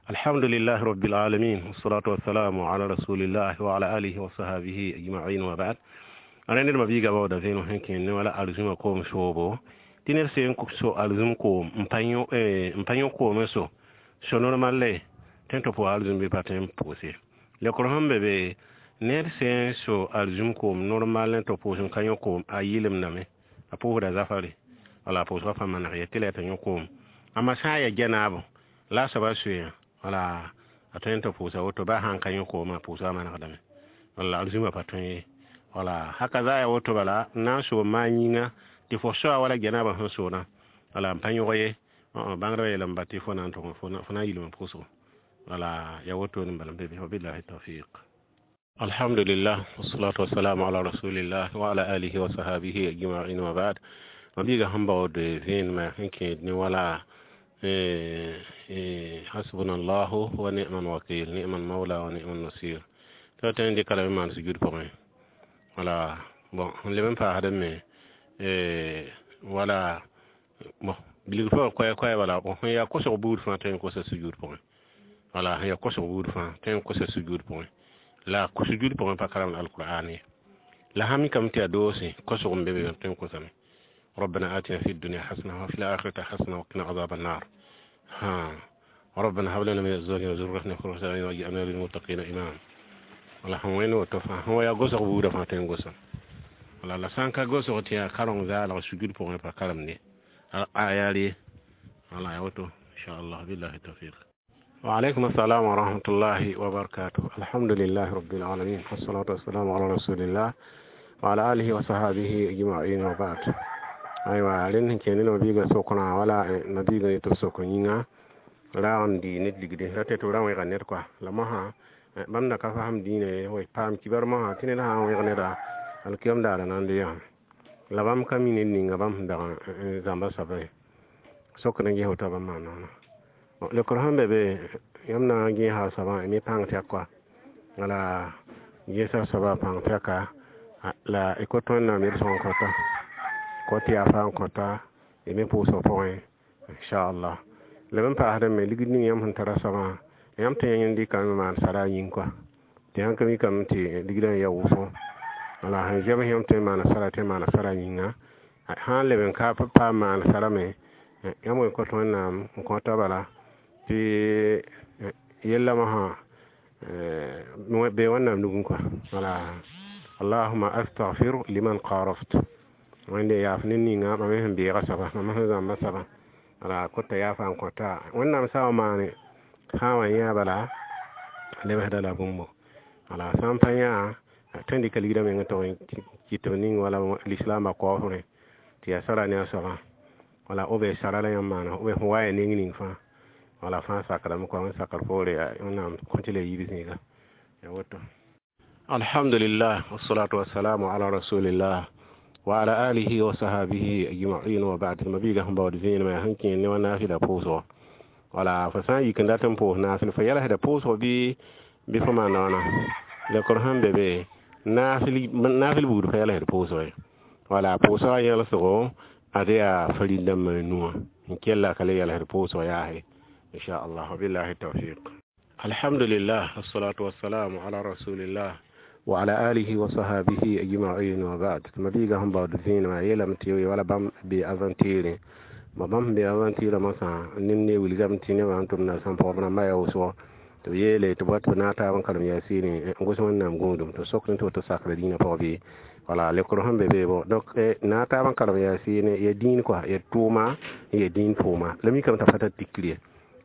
Alhamdulillahi rabbil alamin, wassalatu wassalamu ala rasulillah wa ala alihi wa sahbihi ajma'in wa ba'd. Rẽnd d mabiiga baooda vẽenem sẽn kẽnd ne wala arzũmã koom soobo tɩ ned sẽn so arzũm koom n pa yõ koomẽ so so normal le tõe n tɩ pʋʋs arzũm bɩ pa tõe n pʋʋse. Leokr sẽn be be, ned sẽn so arzũm koom normal n tɩ pʋʋs n ka yõ koom, a yɩlemdame, a pʋʋsda zafare, wala a pʋʋsgã pa maneg ye tɩ la yaa t'a yõ koom. Amma sã n yaa gɛnaabo la a soaba soeeyã, wala a tõe n tɩ pʋʋsa woto baa sã n ka yõ koomã, a pʋʋsgã manegdame, wala arzũmã pa tõe ye. Wala haka za yaa woto bala n na n soom maan yĩnga tɩ fo soa wala gɛnaabã sẽn soona, wala n pa yõg ye, bãngdbã yeelame ba tɩ fo na n tʋg fo na n yilme pʋʋsgo. Wala yaa woto n bala n be be. Wabillahi tawfiq. Alhamdulillah, wassalatu wassalamu ala rasulillah wa ala alihi wa sahbihi ajma'in wa ba'd. Mabiiga sẽn baood vẽenemã sẽn kẽed ne wala hasbunallahu wa ni'mal wakil, ni'mal mawla wa ni'mal nasir. Tɩ tõe n dɩka lame n maan sujud pʋgẽ. Wala bon sẽn leb n paasdẽ me wala bon bilg fãa koɛɛ koɛɛ bala sẽn yaa kosg buud fãa tõe n kosa sujud pʋgẽ. Wala sẽn yaa kosg buud fãa tõe n kosa sujud pʋgẽ. La sujud pʋgẽ pa karemd alqur'an ye. La sã mikame tɩ yaa doose kosg n be be tõe n kosame. ربنا آتنا في الدنيا حسنة وفي الآخرة حسنة وقنا عذاب النار. ها ربنا هب لنا من أزواجنا وذرياتنا قرة أعين واجعلنا للمتقين إماما. Wala sẽn wẽnd woto fãa sẽn wa yaa gosg buudã fãa tõe n gosa. Wala la sã n ka gosg tɩ yaa kareng zaalg sujud pʋgẽ pa karemde a yaa re. Wala yaa woto inchallah, billahi tawfiq. Wa alaykum assalam wa rahmatullahi wa barakatuh. Alhamdulillahi rabbil alamin, wassalatu wassalamu ala rasulillah wa ala alihi wa sahbihi ajma'in wa ba'd. Aywa rẽnd sẽn kẽend ne mabiigã sokrã wala mabiigã yetɩ b sok yĩnga raag n dɩ ned ligde ra tɩ tɩ ra wẽga ned kɔa. La mosã bãmb da ka fasem dĩinã ye, wa paam kibar mosã tɩ ned sã n wẽg neda alkiyam daara na n le yã. La bãmb ka mi ned ninga bãmb sẽn dag n zãmba soaba ye. Sokd n ges woto bãmb maan wãna. Leokr sẽn be be, yãmb na n gẽesa a soabã me pãng tɛk kɔa. Wala gẽesa soabã pãng tɛka la y kot Wẽnnaam yel-sõng kõta, kot yaafa n kõta y me pʋʋsg pʋgẽ inchallah. La b n paasdẽ me ligd ning yãmb sẽn tara soabã, yãmb tõe n dɩkame maan sara a yĩng kɔa. Tɩ sãn ka mikame tɩ ligdã n yaa wʋsgo. Wala sẽn zems yãmb tõe n maana sara tɩ maana sara yĩnga. Sã n leb n ka paam maan sara me, yãmb wẽ kõt Wẽnnaam n kõta bala tɩ yella mosã be Wẽnnaam nugẽ kɔa. Wala allahuma astaghfir liman qaraft. Wẽnde yaaf ned ninga mam sẽn beega soaba, mam sẽn zãmba soaba. Wala kota yaafa n kõta. Wẽnnaam sã n maane sã n wa yã bala lebsda la bũmbo. Wala sã n pa yã tõe n dɩka ligdã meng tɩ kɩt b ning wala lislaambã kaoosrẽ tɩ yaa sara ne a soabã. Wala b sara la yãmb maana, b fo wa ya neng ning fãa. Wala fãa sakrame kɔa wẽn sakr poore yaa Wẽnnaam kõ tɩ la yiib zĩiga ya woto. Alhamdulillah, wassalatu wassalamu ala rasulillah wa ala alihi wa sahabihi ajma'in wa ba'd. Mabiiga sẽn baood vẽenemã yaa sẽn kẽer ne wã naafɩla pʋʋsgo. Wala fo sã n yik n dat n pʋʋs naafɩl, fo yɛlsda pʋʋsgo bɩ fo maan wãna lekr sẽn be be naafɩl buud pa yɛlsd pʋʋsgo ye. Wala pʋʋsgã yẽlsgo ad yaa farin dãmbã nuwã n kella ka le yɛlsd pʋʋsg yaase, inchallah. Wabillahi tawfiq. Alhamdulillah, wassalatu wassalamu ala rasulillah wa ala alihi wa sahabihi ajma'in wa ba'd. Mabiiga sẽn baood vẽenemã yeelame tɩ wala bãmb be aventure ba bãmb be aventure mosã neb ne wilgame tɩ nebã sẽn tʋm na sãn pɔgb rãmbã yaa wʋsgo tɩ b yeele tɩ b tɩ b naag taab n karem yaasiine n gos Wẽnnaam gũudum tɩ sokd tɩ woto sakra dĩinã pʋgã bɩ wala lekr sẽn be be bo. Donc naag taab n karem yaasiine ya dĩin kɔa ya tʋʋma n ya dĩin pʋʋma la mikame t'a pa tar tikr ye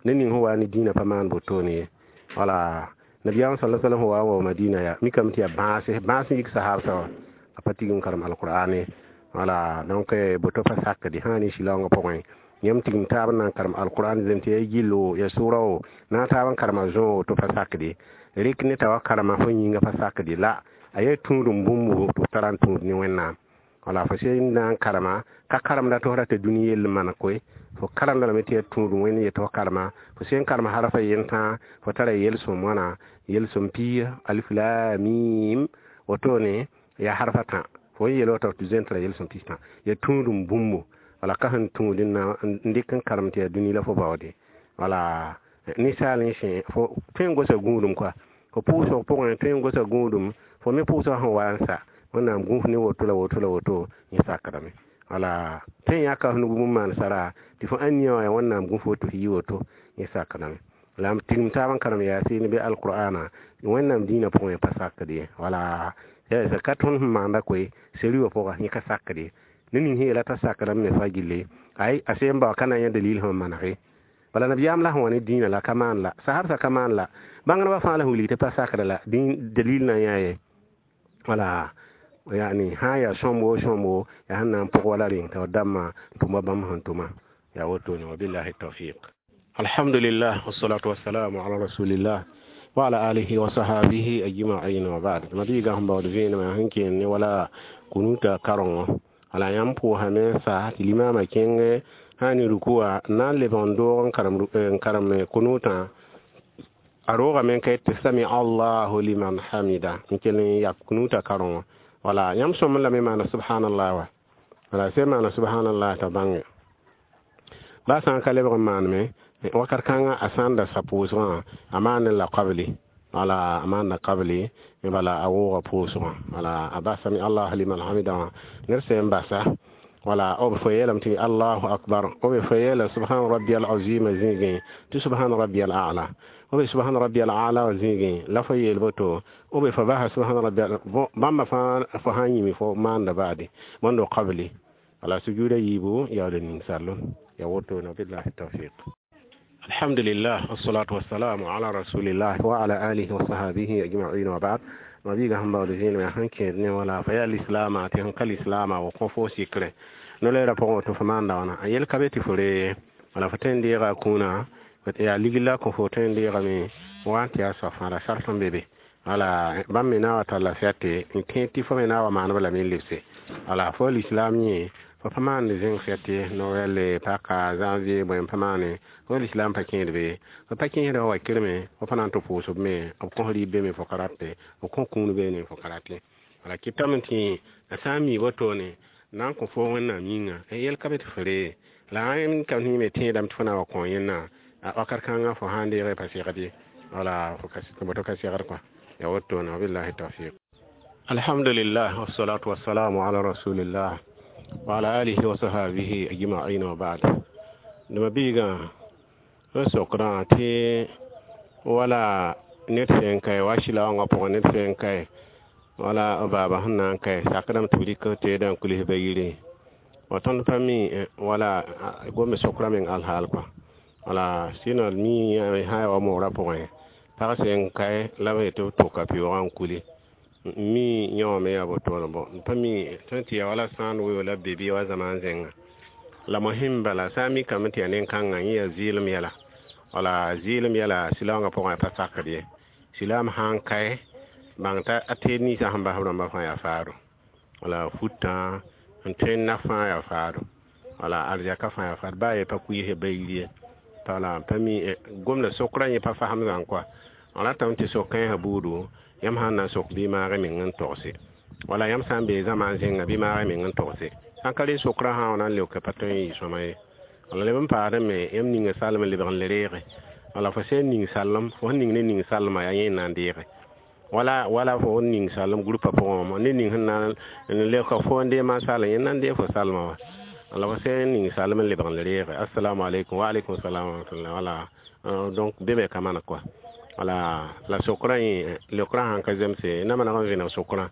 ned ning sẽn wa ne dĩinã pa maan wotone ye. Wala nabiyaam sala sallam sẽn wa n wa Madina yaa mikame tɩ yaa bãase bãas n yik sahaabsã wã a pa tigim karem alqur'ane. Wala donc boto pa sakde sã ne sɩlaoongã pʋgẽ yãmb tigim taab n na n karem alqur'an zem tɩ ya gillo ya sʋra o na n taab n karema zõ tɩ pa sakde rɩk ne t'a wa karema fo yĩnga pa sakde la a yaa tũudum bũmb tɩ f tara n tũud ne Wẽnnaam. Wala fo sẽn na n karema ka karemda tɩ f rata dũni yell maan koe fo karemda lame tɩ yaa tũudum Wẽnd yetɩ fo karema fo sẽn karem harfa yentã fo tara yel-sõm wãna yel-sõm piiga alif la mim wotone yaa harfa tã fo n yel wa tɩ zoe n tara yel-sõm pistã yaa tũudum bũmbu. Wala ka sẽn tũud n na n dɩk n karem tɩ yaa dũni la fo baoode. Wala ninsaal n sẽ fo tõe n gosa gũudum kɔa fo pʋʋsg pʋgẽ tõe n gosa gũudum fo me pʋʋsgã sẽn wa n sa Wẽnnaam gũuf ne woto la woto la woto yẽ sakrame. Wala tõe n yãka f nug bũmb maan sara tɩ fo ãnnia wã yaa Wẽnnaam gũuf woto f yi woto yẽ sakrame. La m tigim taab n karem yaasiin bɩ alqur'ana Wẽnnaam dĩinã pʋgẽ pa sakd ye. Wala ka tõnd sẽn maanda koe seri wã pʋga yẽ ka sakd ye ned ning sẽn yeela t'a sakrame me fa gilli ay a sẽn bao ka na n yã dalil sẽn manege. Bala nabiyaam la sẽn wa ne dĩinã la ka maan la sahabsã ka maan la bãngdbã fãa la sẽn wilg tɩ pa sakra la dalil na n yã ye. Wala yani sã n yaa sõmbo sõmbo yaa sẽn na n pʋg wala reng t'a dãmbã tʋma bãmb sẽn tʋma yaa wotone. Wabillahi tawfiq. Alhamdulillah, wassalatu wassalamu ala rasulillah wa ala alihi wa sahabihi ajma'in wa ba'd. Mabiiga sẽn baood vẽenemã sẽn kẽer ne wala kunuta karengo wala yãmb pʋʋsame n sa tɩ limaamã kẽng sã ne rukuwa na n lebg n doog n karem kunutã a roogame n ka tɩ sami allahu liman hamida n kell n yak kunuta karengo. Wala yãmb sõm lame maana subhanallah wa wala sẽn maana subhanallah t'a bãnge baa sã n ka lebg n maaneme wakat kãngã a sã n da sa pʋʋsgã a maan la qabli wala a maanda qabli bala a wooga pʋʋsgã wala a basame allah liman hamida wã ned sẽn basa wala b fo yeelame tɩ allahu akbar b fo yeela subhana rabbi al azima zĩigẽ tɩ subhana rabbi al a'la b subhana rabbi al a'la wã zĩigẽ la fo yeel boto b fo basa subhana rabbi bãmba fãa fo sã n yĩme fo maanda baade bõndo qabli wala sujuda yiibu yaool n ning sallem ya wotone. Billahi tawfiq. Alhamdulillah, wassalatu wassalamu ala rasulillah wa ala alihi wa sahabihi ajma'in wa ba'd. Mabiiga sẽn baood vẽenemã sẽn kẽed ne wala fa yaa lislaama tɩ sẽn ka lislaama wa kõ fo sikre no-leerã pʋgẽ tɩ fo maanda wãna a yel ka be tɩ fo ree wala fo tõe n deega a kũunã yaa ligl la kõ fo tõe n deegame wa n tɩ yaa soab fãa la sart n be be. Wala bãmb me na wa talla fɛte n tẽ tɩ fo me na wa maaneb lame n lebse wala fo lislaam yẽ fo pa maand zẽng fɛte noɛl paka janvier bõe n pa maane fo lislaam pa kẽed be fo pa kẽesdã wa kirme fo pa na n tɩ pʋʋsb me b kõs rɩɩb be me fo ka rate b kõ kũun beene fo ka rate. Wala kɩtame tɩ a sã n mi wotone na n kõ fo Wẽnnaam yĩnga yel ka be tɩ fo ree la a ka me tẽedame tɩ fo na wa kõ yẽnna wakat kãngã fo sã n deege pa segd ye wala fo boto ka segd kɔa ya wotone. Wabillahi tawfiq. Alhamdulillah, wassalatu wassalamu ala rasulillah wa ala alihi wa sahabihi ajma'in wa ba'd. Dama biiga n sokdã tɩ wala ned sẽn kae wa sɩlaoongã pʋgẽ ned sẽn kae wala baaba sẽn na n kae sakdame tɩ b rɩk teedã n kuls ba yire wa tõnd pa mi wala gome sokra meng alhaal kɔa wala sɩnã mi sã ya wa moorã pʋgẽ pag sẽn kae la b yetɩ b tʋka pɩoogã n kuli mi yãwame yaa wotone bõ n pa mi tõe tɩ yaa wala sãan weo la be bɩ wa zamaan zẽnga la mosẽm bala sã n mikame tɩ yaa nen-kãngã yẽ yaa zɩɩlem yɛla. Wala zɩɩlem yɛla silaoongã pʋgẽ pa sakd ye. Silaam sã n kae bãng t'a a teed ninsã sẽn bas b rãmbã fãa yaa faado. Wala futã n tõe n naf fãa yaa faado. Wala arzɛka fãa yaa faado. Baa ye pa kuiise bayir ye. Wala pa mi gomda sokrã yẽ pa fasem zãng kɔa. Ratame tɩ sok kãensã buudu, yãmb sã n na n sok bɩ maag y meng n togse. Wala yãmb sã n bee zãma n zẽnga bɩ maag y meng n togse. Sã n ka re sokrã sã n na n leoka pa tõe n yɩ sõma ye. Wala leb n paasdẽ me yãmb ninga salem n lebg n le reege. Wala fo sẽn ning salem, fo sẽn ning ne ning salmã yaa yẽ n na n deege. Wala wala fo sẽn ning salem groupa pʋgẽ wã, ne ning sẽn na n leoka fo n deeg maan salem, yẽ n na n deeg fo salmã wã. Wala fo sẽn ning salem n lebg n le reege. Assalamu alaikum wa alaikum salam wa rahmatullah. Wala donc be me ka maan kɔa. Wala la sokrã yẽ leokrã sãn ka zemse na maneg n vẽneg sokrã.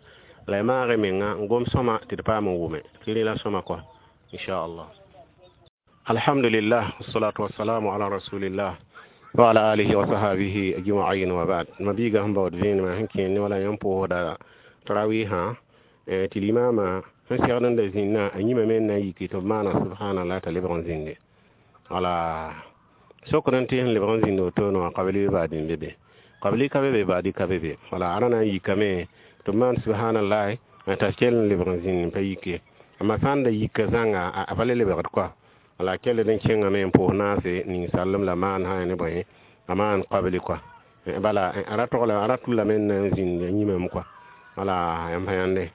La y maag y menga n gom sõma tɩ d paam n wʋme. Tɩ rẽ la sõma kɔa. Inchallah. Alhamdulillah, wassalatu wassalamu ala rasulillah wa ala alihi wa sahbihi ajma'in wa ba'd. Mabiga sẽn baood vẽenemã sẽn kẽer ne wala yãmb pʋʋsda tarawihã tɩ limama sẽn segd n da zĩnnã a yĩmame n na n yiki tɩ b maana subhanallah t'a lebg n zĩnde. Wala sokd n tɩ sẽn lebg n zĩnd wotone wã kabli baadi n be be. Kabli ka be be baadi ka be be. Wala a ra na n yikame tɩ b maan subhanallah t'a kell n lebg n zĩnd n pa yik ye. Amma sã n da yika zãnga a pa le lebgd kɔa. Wala a kell n kẽngame n pʋʋs naase ning-sallem la maan sã ne bõe a maan kabli kɔa. Bala a ra togla a ra tʋlame n na n zĩnd a yĩmame kɔa. Wala yãmb sã yãnde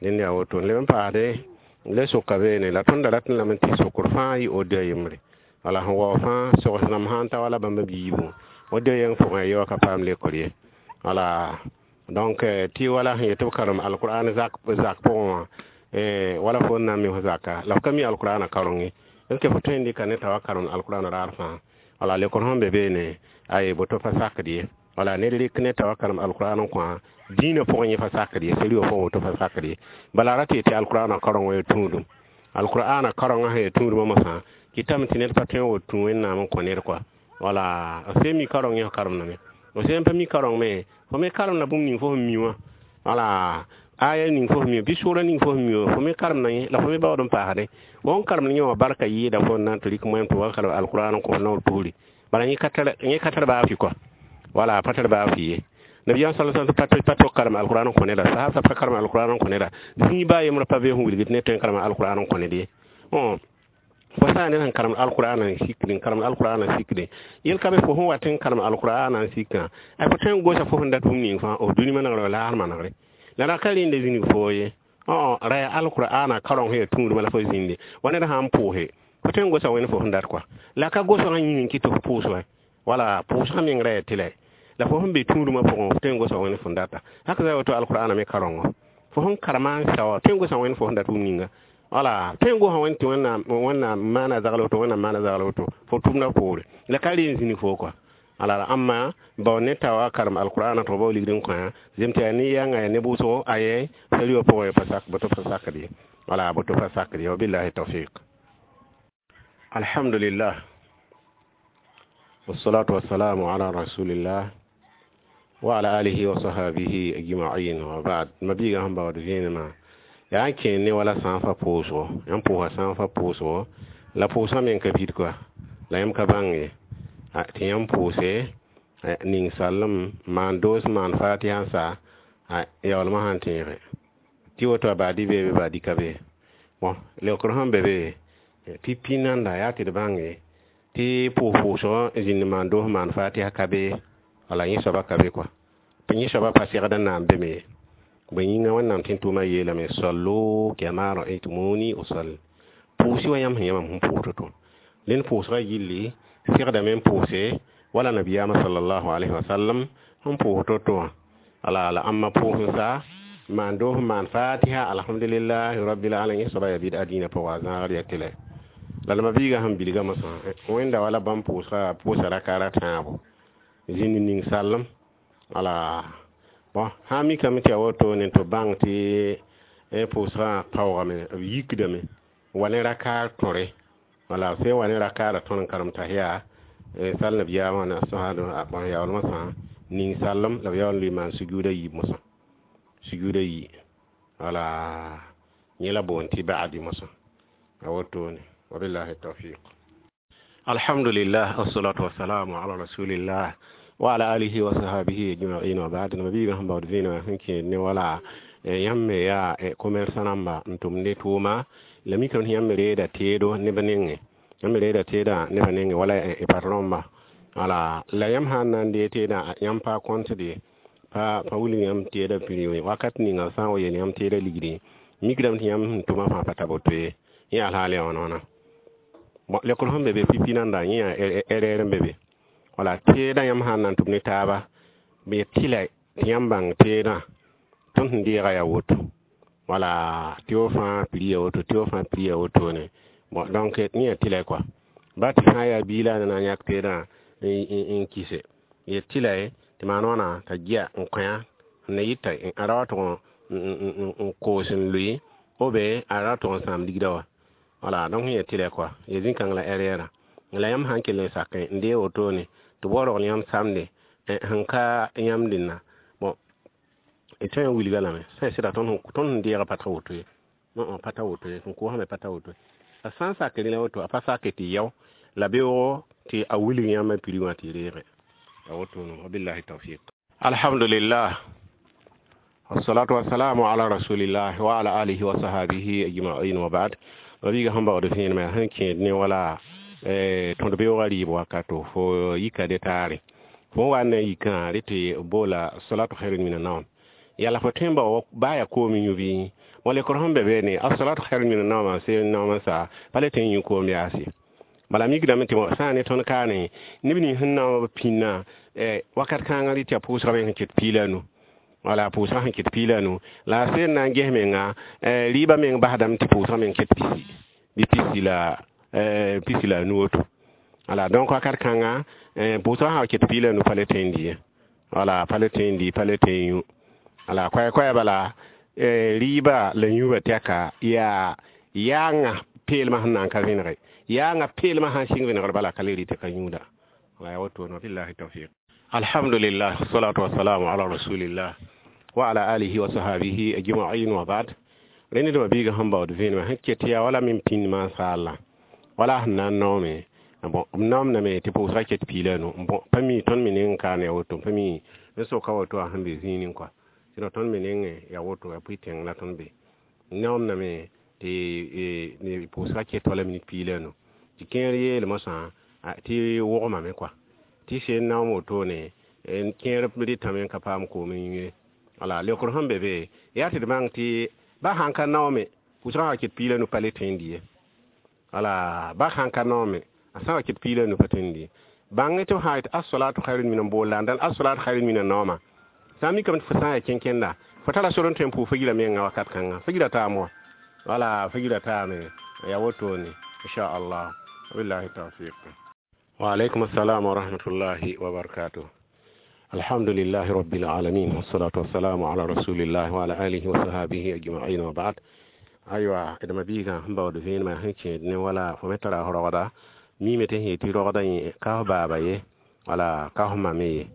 dẽnd yaa woto. Leb n paasde le soka beene la tõnd da rat n lame tɩ sokr fãa yɩ odiya yembre. Wala sẽn wao fãa sogs rãmb sã n ta wala bãmb b yiibu odiya yɛng pʋgẽ a yeoa ka paam lekr ye. Wala donc tɩ wala sẽn yet tɩ b karem alqur'an zak zak pʋgẽ wã wala fo n na n mi fo zaka la f ka mi alqur'ana kareng ye. Est ce que fo tõe n dɩka ne t'a wa karem alqur'an raar fãa. Wala lekr sẽn be beene ay boto pa sakd ye. Wala ned rɩk ne t'a wa karem alqur'an n kõ dĩinã pʋgẽ yẽ pa sakd ye, seri wã pʋgẽ woto pa sakd ye. Bala ra tɩ yetɩ alqur'ana kareng wã yaa tũudum. Alqur'ana karengã sẽn yaa tũudumã mosã kɩtame tɩ ned pa tõe n wa tũ Wẽnnaam n kõ ned kɔa. Wala f sẽn mi kareng yẽ f karemdame. F sẽn pa mi kareng me, fo me karemda bũmb ning fo sẽn mi wã. Wala aya ning fo sẽn mi, bɩ sʋʋra ning fo sẽn mi wã, fo me karemda yẽ la fo me baood n paasdẽ. Fo n karemd yẽ wã barka yɩɩda fo n na n tɩ rɩk moɛm tɩ wa karem alqur'an n kõ f naoor pusri. Bala yẽ ka tar baa fɩ kɔa. Wala a pa tar baa fɩ ye. Nabiyaam sallallahu alaihi wasallam pa tok karem alqur'an n kõ neda. Sahab pa karem alqur'an n kõ neda. Zĩig baa yembrã pa be sẽn wilgd ned tõe n karem alqur'an n kõ ned ye. Fo sã n ned sẽn karem alqur'an n sikd n karem alqur'an n sikde yel ka be fo sẽn wat n karem alqur'an n sikã ay fo tõe n gosa fo sẽn dat bũmb ning fãa f dũni manegre wa laasr manegre. La ra ka rẽnda zĩnig foo ye. Ra yaa alqur'ana kareng sẽn yaa tũudmã la fo zĩnde. Wa ned sã n pʋʋse fo tõe n gosa wẽnd fo sẽn dat kɔa. La ka gosgã yĩng n kɩt tɩ f pʋʋs wa. Wala pʋʋsgã meng ra yaa tɩlɛ. La fo sẽn be tũudmã pʋgẽ fo tõe n gosa wẽnd fo n data. Hak za woto alqur'ana me karengõ. Fo sẽn karema n sa wã tõe n gosa wẽnd fo sẽn dat bũmb ninga. Wala tõe n gosa wẽnd tɩ Wẽnnaam maana zagl woto, Wẽnnaam maana zagl woto fo tʋmdã poore. La ka re n zĩnig foo kɔa. Ala amma bao ne t'a wa karem alqur'ana tɩ b bao ligd n kõ zem tɩ yaa ne yãnga yaa ne bʋʋsgo aye sari wã pʋgẽ pa sak boto pa sakd ye. Wala boto pa sakd ye. Wabillahi tawfiq. Alhamdulillah. Wassalatu wassalamu ala rasulillah wa ala alihi wa sahbihi ajma'in wa ba'd. Mabiga sẽn baood vẽenemã yaa n kẽer ne wala sã n fa pʋʋsgo. Yãmb pʋʋsa sã n fa pʋʋsgo la pʋʋsgã meng ka bid kɔa. La yãmb ka bãng ye. Tɩ yãmb pʋʋse ning-sallem maan doos maan fatiha n sa yaoolmã sãn tẽege. Tɩ woto a baadi bee be baadi ka be. Bon leokr sẽn be be pipi nanda yaa tɩ d bãnge tɩ pʋʋs-pʋʋsgõ zĩnd maan doos maan fatiha ka be. Wala yẽ soaba ka be kɔa. Yẽ soaba pa segd n na n be me ye. Bõe yĩnga Wẽnnaam tɩ n tʋʋmã yeelame sallu kama ra'aytumuni usalli. Pʋʋsɩ wa yãmb sẽn yã mam sẽn pʋʋs to-to. Rẽnd pʋʋsgã yilli segdame n pʋʋse wala nabiyaamã sallallahu alaihi wasallam sẽn pʋʋs to-to wã. Ala la ãmba pʋʋs n sa maan doos n maan fatiha alhamdulillahi rabbil alamin yẽ soaba yaa bɩd dĩinã pʋgã a zãagd yaa tɩlɛ. La la mabiigã sẽn bilga mosã wẽnda wala bãmb pʋʋsga pʋʋsa rakaara tãabo zĩnd ning-sallem. Wala bon sã n mikame tɩ yaa wotone tɩ b bãng tɩ pʋʋsgã paoogame b yikdame wa ne rakaar tõre. Wala sẽn wa ne rakaarã tõr n karem tahiya sal nabiyaamã na sãa yaoolmã sã ning-sallem la b yaool n lʋɩ maan sujuuda yiib mosã. Sujuuda yi. Wala yẽ la boond tɩ ba'adi mosã. A wotone. Wabillahi tawfiq. Alhamdulillah, wassalatu wassalamu ala rasulillah wa ala alihi wa sahbihi ajma'in wa ba'd. Mabiiga sẽn baood vẽenegã sẽn kẽed ne wala yãmb me yaa commerçant rãmba n tʋmd ne tʋʋma la mikame tɩ yãmb me reeda teedo neb nengẽ, yãmb me reeda teedã nebã nengẽ wala patronba. Wala la yãmb sã n na n dee teedã, yãmb pa kõtd ye, pa wilg yãmb teedã prix wakat ninga sã n wa yeel yãmb teedã ligdi, mikdame tɩ yãmb sẽn tʋmã fãa pa ta boto ye. Yẽ yaa alhaal yaa wãna wãna. Bon, lekr sẽn be be pipi nanda yẽ yaa erreur n be be. Wala teedã yãmb sã n na n tʋm ne taaba, b yet tɩ la tɩ yãmb bãng teedã tõnd sẽn deega yaa woto, wala tɩ f fãa prix ya woto, tɩ f fãa prix ya wotone. Bon, donc yẽ yaa tɩ la kɔa ba tɩ sã n yaa bia la a na n yãk teedã n kise, yet tɩ la tɩ maan wãna t'a gia n kõ-a n na yɩta a ra wa tʋg n koos n lʋɩ ou bien a ra tʋg n sãam ligdã wa. Wala donc yẽ tɩ la kɔa ya zĩ-kãng la erreur la yãmb sã n kell n sakẽ n dee wotone tɩ b wa rogl yãmb samde sẽn ka yãmb dẽnna. Bon, d tõe n wilga lame sã n sɩda tõnd sẽn deegã pa ta woto ye, pa ta woto ye, sẽn koosã me pa ta woto ye. A sã n sak rẽ la woto, a pa sake tɩ yao la beoogo tɩ a wilg yãmb prix wã tɩ reege ya wotone. Wabillahi tawfiq. Alhamdulillah, wassalatu wassalamu ala rasulillah wa ala alihi wa sahbihi ajma'in wa ba'd. Mabiiga sẽn baood vẽenemã sẽn kẽed ne wala tõd beoogã rɩɩb wakato fo yika de taare fo n wa n na n yikã rẽ tɩ boola salatu khairun min annaum yala fo tõe n bao baa yaa koom yũ bɩ wã lekr sẽn be be ne as-salatu khairun min annaum sẽn naoom n sa pa le tõe n yũ koom yaase. Bala mikdame tɩ sã n ne tõnd kaane neb nins sẽn naoog pĩnnã wakat kãngã rɩ tɩ yaa pʋʋsgã me sẽn ket piila nu, wala pʋʋsgã sẽn ket piila nu la a seen na n ges menga rɩɩbã meng basdame tɩ pʋʋsgã meng ket pisi bɩ pisi la nu woto. Wala donc wakat kãngã pʋʋsgã sã wa ket piila nu pa le tõe n dɩ ye, wala pa le tõe n dɩ, pa le tõe n yũ. Wala koɛ-koɛɛ bala rɩɩbã la yũubã tɛka yaa yaangã peelmã sẽn na n ka vẽnege, yaangã peelmã sã n sɩng vẽnegr bala ka le rɩ tɩ ka yũuda. Wala yaa wotone. Wabillahi tawfiq. Alhamdulillah, wassalatu wassalamu ala rasulillah wa ala alihi wa sahbihi ajma'in wa ba'd. Rẽnd d mabiiga sẽn baood vẽenemã sẽn ket yaa wala min pĩnd mansaalã wala sẽn na n naoome. Bon, b naoomdame tɩ pʋʋsga ket piila nu. Bon, pa mi tõnd me neng n kaane ya woto, pa mi n soka woto a sẽn be zĩining kɔa, sɩd tõnd me nengẽ ya woto ya pʋɩ tẽng la tõnd be naoomdame tɩ pʋʋsga ket wala minit piila nu tɩ kẽer yeel mosã tɩ wogmame kɔa tɩ seen naoom wotone kẽer rɩtame n ka paam koom n yũ ye. Wala lekr sẽn be be yaa tɩ d bãng tɩ ba sãn ka naoome pʋʋsgã wa ket piila nu pa le tõe n dɩ ye. Wala ba sãn ka naoome a sã wa ket piila nu pa tõe n dɩ ye. Bãng tɩ f sã yet as-salatu khairun min n bool la n dãn as-salatu khairun min naooma sã n mikame tɩ fo sã n yaa kẽn-kẽnda fo tara sor n tõe n pʋʋg fagira menga wakat kãnga fagira taam wa. Wala fagira taame ya wotone inchallah. Wabillahi tawfiq. Wa alaykum assalam wa rahmatullahi wa barakatuh. Alhamdulillahi rabbil alamin, wassalatu wassalamu ala rasulillah wa ala alihi wa sahbihi ajma'in wa ba'd. Aywa, d mabiigã sẽn baood vẽenemã sẽn kẽed ne wala fo me tara rogda mime tɩ sẽn yetɩ rogdã yẽ ka f baaba ye, wala ka f ma me ye,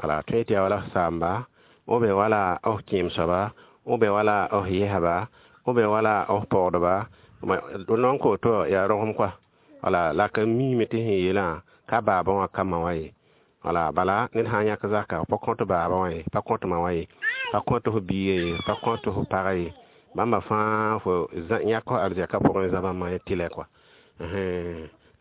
wala tõe tɩ yaa wala f saamba ou bien wala f kẽem soaba ou bien wala f yɛsba ou bien wala f pɔgdba non ko to yaa rogem kɔa. Wala la ka mime tɩ sẽn yeelã ka baabã wã ka ma wã ye. Wala bala ned sã n yãk zaka pa kõt baabã wã ye, pa kõt ma wã ye, pa kõt f bia ye, pa kõt f pagã ye, bãmba fãa fo yãk f arzɛka pʋgẽ zabãmba ye tɩ la kɔa.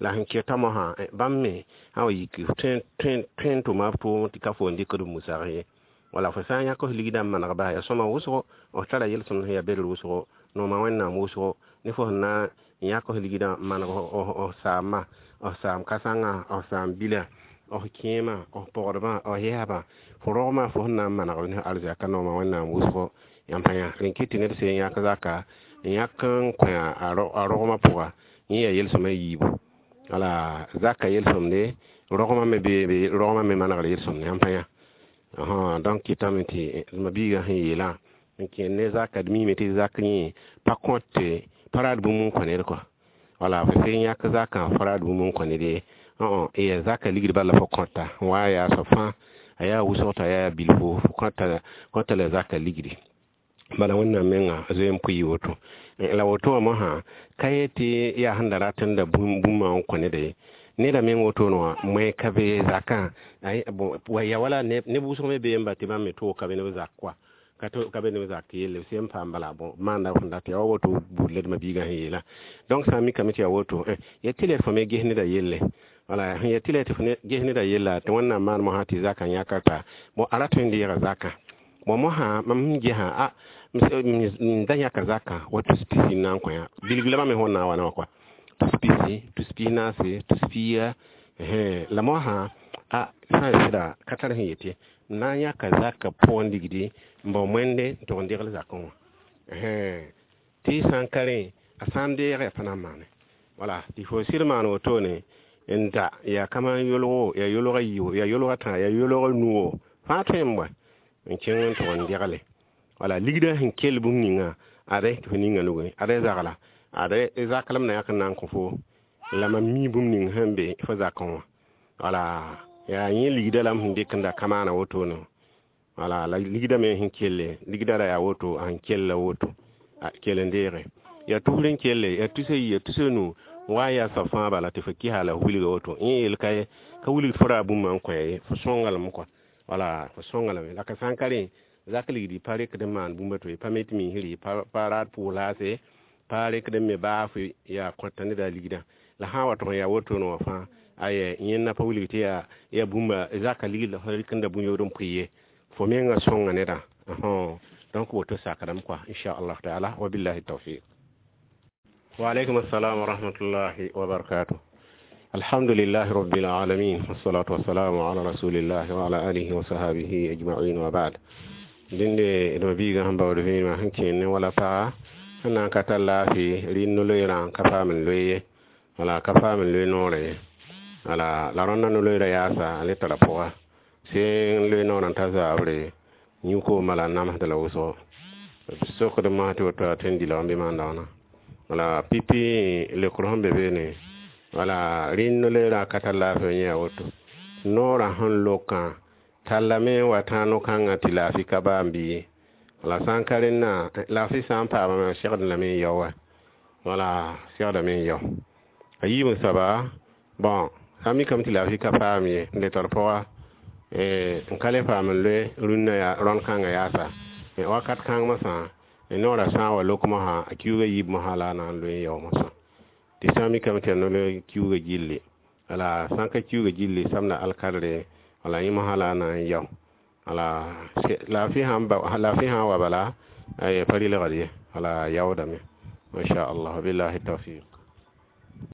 La sẽn keta mosã bãmb me sã wa yik tõe n tʋma b tʋʋm tɩ ka fo n dɩkd b musag ye. Wala fo sã n yãk f ligdã n maneg bas yaa sõma wʋsgo, f tara yel-sõmd sẽn yaa bedr wʋsgo, nooma Wẽnnaam wʋsgo ne fo sẽn na n yãk f ligdã n maneg f saamã, f saam kãsengã, f saam bila, f kẽemã, f pɔgdbã, f yɛsbã, fo rogmã fo sẽn na n maneg ne arzɛka nooma Wẽnnaam wʋsgo yãmb pa yã. Rẽn kɩt tɩ ned sẽn yãk zaka n yãk n kõ a rogmã pʋga yẽ yaa yel-sõma yiibu. Wala zaka yel-sõmde rogmã me be rogmã me manegr yel-sõmde yãmb pa yã. Donc kɩtame tɩ mabiigã sẽn yeelã n kẽed ne zaka d miime tɩ zak yẽ pa kõt pa raad bũmb n kõ ned kɔa. Wala fo sẽn yãk zakã fo raad bũmb n kõ ned ye, yaa zaka ligd bala fo kõta wa yaa soab fãa a yaa wʋsg t'a yaa bilfo fo kõta la zaka ligdi. Bala Wẽnnaam menga zoe n pʋɩ woto la woto wã mosã ka yet tɩ yaa sẽn da rat n da bũmb wã n kõ ned ye. Neda meng wotone wã moẽ ka be zakã, bon, ya wala neb wʋsg me bee n ba tɩ bãmb me toog ka be ne b zak koa, ka be ne b zak yelle, b sẽn paam bala. Bon, maanda f sẽn dat yaa wa woto buud la d ma-biigã sẽn yeela. Donc sã n mikame tɩ yaa woto, ya tɩ la fo me ges neda yelle, wala sẽn ya tɩ la tɩ fo ges neda yella tɩ Wẽnnaam maan mosã tɩ zakã yãka ta. Bon, a rat n deega zakã. Bon, mosã mam sẽn gesã, a n da yãka zakã wa tus pisi n na n kõ yã bilg la bãmb me sẽn na n wa ne wã kɔa tus pisi, tus pis-naase, tus pia. La mosã a sã n sɩda ka tar sẽn yetɩ n na n yãka zakã pʋgẽ ligdi n bao moende n tʋg n degl zakẽ wã, tɩ sã n ka rẽ, a sã n deege, a pa na n maane. Wala tɩ fo sɩd maan wotone n da yaa kama yolgo, yaa yolga yiibo, yaa yolga tã, yaa yolga nuo fãa tõe n bõe n kẽng n tʋg n degle. Wala ligdã sẽn kell bũmb ninga, ade tɩ fo ninga nugẽ, ade zagla, ade zak la m na yãk n na n kõ fo la mam mi bũmb ning sẽn be fo zakẽ wã. Wala yaa yẽ ligdã la m sẽn dɩk n da ka maana wotone. Wala la ligdã me sẽn kelle, ligdã ra yaa woto, a sẽn kell la woto, a kell n deege, yaa tusr n kelle, yaa tusa yi, yaa tusa nu wa n yaa soab fãa bala tɩ fo kɩsa la f wilga woto. Yẽ yeel ka ye ka wilg fo ra bũmba n kõ ye, fo sõnga lame kɔa. Wala fo sõnga lame. La ka sã n ka rẽ, zak ligdi pa rekd n maan bũmb to ye, pa me tɩ miisr, pa raad pʋʋs laase, pa rekd n me baa fo yaa kõta neda ligdã. La sã n wa tʋg n yaa wotone wã fãa, aya, yẽnda pa wilg tɩ yaa bũmba zaka ligd la fo rɩk n da bũn-yood n pʋɩ ye, fo menga sõnga nedã. Donc woto sakdame kɔa, inchallah taala. Wa billahi tawfiq. Wa alaikum assalam wa rahmatullahi wa barakatuh. Alhamdulillahi rabbil alamin, wassalatu wassalamu ala rasulillahi wa ala alihi wa sahabihi ajma'in, wa ba'd. Dẽnde d ma-biigã sẽn baood vẽenemã sẽn kẽen ne wala paga sẽn na n ka tar laafɩ rɩ no-loeerã ka paam n loe ye, wala ka paam n loe noorã ye. Wala la rõndã no-loeerã yaasa, a le tara pʋga sẽn loe noorã n ta zaabre yũ-koom bala n namsd la wʋsgo b sokd mosã tɩ woto a tõe n dɩlg n bɩ maan daoona. Wala pipi leokr sẽn be beene, wala rẽnd no-loeerã ka tar laafɩ yẽ yaa woto, noorã sẽn lokã tallame n wa tã no-kãngã tɩ laafɩ ka baam bɩ. Wala sã n ka rẽnnã, laafɩ sã n paamame, segd lame n yao wa, wala segdame n yao a yiib n soaba. Bon, sã n mikame tɩ laafɩ ka paam ye n le tar pʋga n ka le paam n loe rũnnã yaa rõnd kãngã yaasa wakat kãng mosã, noorã sã n wa lok mosã, a kiuugã yiib mosã la a na n loe n yao mosã. Tɩ sã n mikame tɩ yaa no-loe kiuugã gilli, wala sã n ka kiuugã gilli samda alkadre, wala yẽ mosã la a na n yao. Wala laafɩ sã n wa bala, pa rɩlgd ye, wala yaoodame, inchallah. Billahi tawfiq.